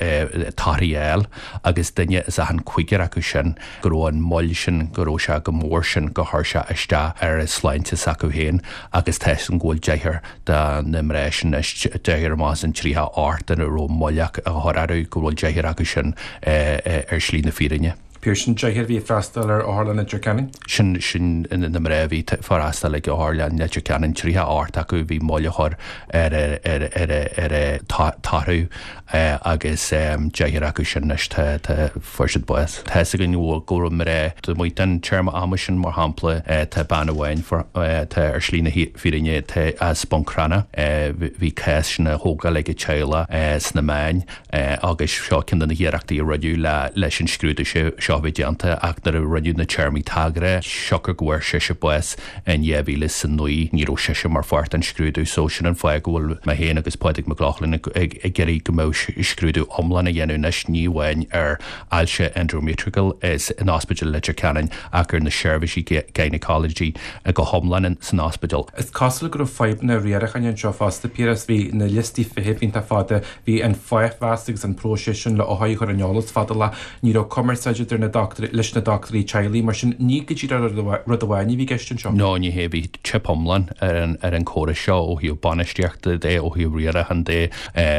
torthaí a fháil agus duine as achan cúigear acu sin go raibh an moill sin go raibh sé chomh mór sin gur chuir sé isteach ar a sláinte s'acu féin agus tá 'fhios agam go bhfuil deichniúr de na mná sin anois, deichniúr amach as an 38 a raibh moill á chur orthu, go bhfuil deichniúr acu sin ar shlí na fírinne. Piaras, sin deichniúr a bhí ag freastal ar Otharlann Leitir Ceanainn? Sin, sin na mná a bhí ag freastal ag Otharlann Leitir Ceanainn, 38 acu a bhí moill á chur ar a, ar a, ar a, ar a torthaí agus deichniúr acu sin anois tá, tá, fuair siad bás. Tá 'fhios againn go raibh mná taobh amuigh den téarma ama sin, mar shampla tá bean amháin atá ar shlí na fírinne atá as Buncrana, bhí cás sin á thógáil ag a teaghlach sna meáin agus seo ceann de na hiarrachtaí a rinneadh leis an scrúdú seo a bheith déanta ach nuair a rinneadh na téarmaí tagartha, siocair go bhfuair sise bás in 2009 ní raibh sise mar pháirt den scrúdú so sin an fáth go bhfuil mé féin agus Pádraig Mac Lochlainn ag iarraidh go mbeadh scrúdú iomlán á dhéanamh anois ní amháin ar ailse endometrial in Ospidéal Leitir Ceanainn ach ar na seirbhísí gynecology go hiomlán san ospidéal. Is cosúil go raibh fadhbanna riaracháin anseo fosta, Piaras. Bhí na liostaí feithimh iontach fada, bhí an fáithmheas agus an próiseas sin le othair a chur ar an eolas fada lá. Ní raibh cumarsáid idir na dochtúirí, leis na dochtúirí teaghlaigh, mar sin ní go díreach rud amháin a bhí i gceist anseo. No, ní hé, bhí teip iomlán ar an ar an chóras seo ó thaobh bainistíochta de, ó thaobh riaracháin de,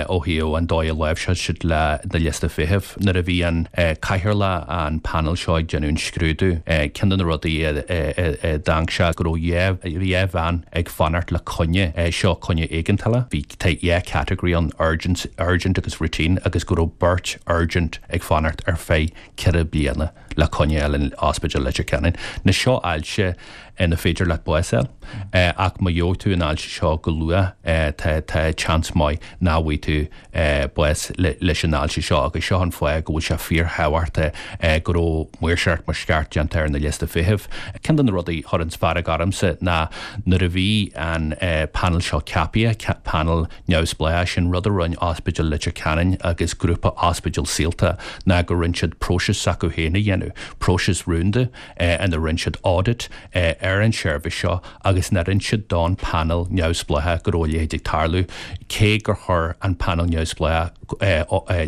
ó thaobh an dóigh a láimhseáil siad le na liosta feithimh. Nuair a bhí an cathaoirleach an panel seo ag déanamh an scrúdú, ceann de na rudaí a d'amharc sé go raibh 2 bhean ag fanacht le coinne, seo coinne éigeantála, bhí tá 2 category ann, urgent urgent agus routine agus go raibh beirt urgent ag fanacht ar feadh 4 bliana le coinne a fháil in Ospidéal Leitir Ceanainn. Now seo ailse ina féidir leat bás a fháil ach má gheobhaidh tú an ailse seo go luath tá tá seans maith nach bhfaighidh tú bás leis an ailse seo agus seo an fáth go bhfuil sé fíorthábhachtach go raibh maoirseacht mar is ceart déanta ar na liosta feithimh. Ceann de na rudaí a chuireanns fearg ormsa ná nuair a bhí an panel seo ceapaithe, panel neamhspleách, sin rud a rinne Ospidéal Leitir Ceanainn agus grúpa ospidéal Saolta ná go rinne siad próiseas s'acu féin a dhéanamh, próiseas rúnda ina rinne siad audit ar an seirbhís seo agus nár inis siad don panel neamhspleách go raibh a leithéid ag tarlú, cé gur chuir an panel neamhspleách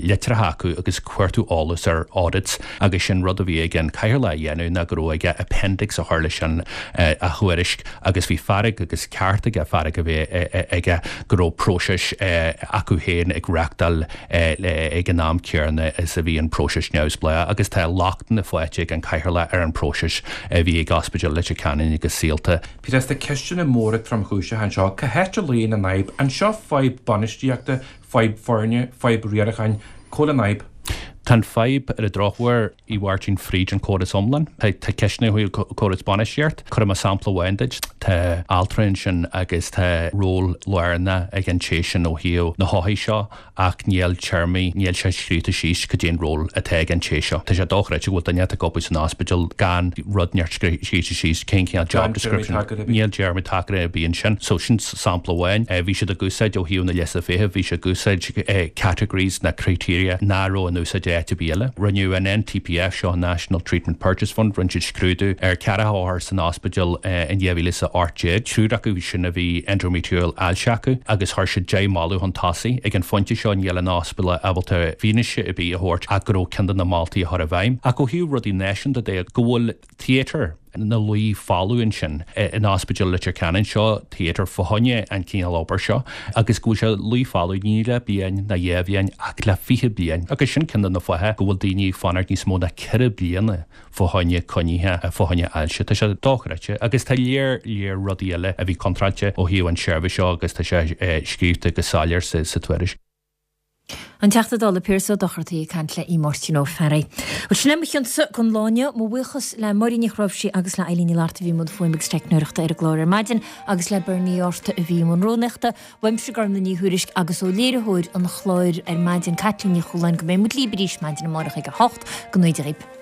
litreacha acu agus cuartú eolas ar audits agus sin rud a bhí ag an cathaoirleach a dhéanamh ná go raibh aige appendix a chur leis an a thuairisc agus bhí fearg agus ceart aige fearg a bheith aige go raibh próiseas acu féin ag reachtáil ag an am céanna is a bhí an próiseas neamhspleách agus tá lochtanna faighte ag an cathaoirleach ar an próiseas a bhí ag Ospidéal Leitir Ceanainn agus Saolta. Piaras. ceisteanna móra tromchúiseacha anseo. Cá háit a luíonn an fhadhb? An seo fadhb bainistíochta, fadhb foirne, fadhb riaracháin? Cá bhfuil an fhadhb? Tá an fadhb, ar an drochuair, a Mháirtín, fríd an córas iomlán. Tá ceisteanna ó thaobh córas bainistíocht. Cuirfidh mé sampla amháin duit. Tá altra ansin agus tá ról lárnach ag an té sin ó thaobh na hothair seo ach níl téarmaí, níl sé scríofa síos cad é an ról atá ag an té seo. Tá sé dochreidte go bhfuil duine ag obair san ospidéal gan rud inteacht scríofa síos cén cineál job description. Níl téarmaí tagartha ar bith ansin. So sin sampla amháin. Bhí siad ag úsáid ó thaobh na liosta feithimh, bhí siad ag úsáid categories ná criteria nach raibh in úsáid áit ar bith eile. Rinneadh an NTPF seo, National Treatment Purchase Fund, rinne siad scrúdú ar 40 othar san ospidéal in 2018. Triúr acu sin a bhí endometrial ailse acu agus chuir siad 10 moladh chun tosaigh. Ag an phointe seo níl an ospidéal ábalta fianaise ar bith a thabhairt ach go raibh ceann de na moltaí á chur i bhfeidhm. Ach ó thaobh rudaí náisiúnta de, go bhfuil theatre ina luí folamh ansin in Ospidéal Leitir Ceanainn, seo theatre fá choinne an cineál obair seo agus go bhfuil sé luí folamh ní le bliain ná dhá bhliain ach le 20 bliain agus sin ceann de na fátha go bhfuil daoine ag fanacht níos mó ná ceithre bliana fá choinne coinnithe fá choinne ailse. Tá sé dochreidte agus tá léar léar rudaí eile a bhí contráilte ó thaobh an seirbhís seo agus tá sé scríobhta go soiléir sa tuairisc. An Teachta Dála Pearse Ó Dochartaigh ag caint le Máirtín Ó Fearraigh. Bhuel, sin é mo chionsa don lá inniu. Mo bhuíochas le Máirín Ní Chnáimhsí agus le Eileen Ní Fhlatharta a bhí i mbun fuaime agus teicneoireachta ar an gclár ar maidin agus le Bernie Art a bhí i mbun rúnaíochta. Uaimse Gormlaith Ní Thuairisg agus ó léiritheoir an chláir ar maidin, Caitlín Ní Chualáin, go mbeidh muid libh arís maidin amárach ag 8. Go ngnóthaí Dia dhaoibh.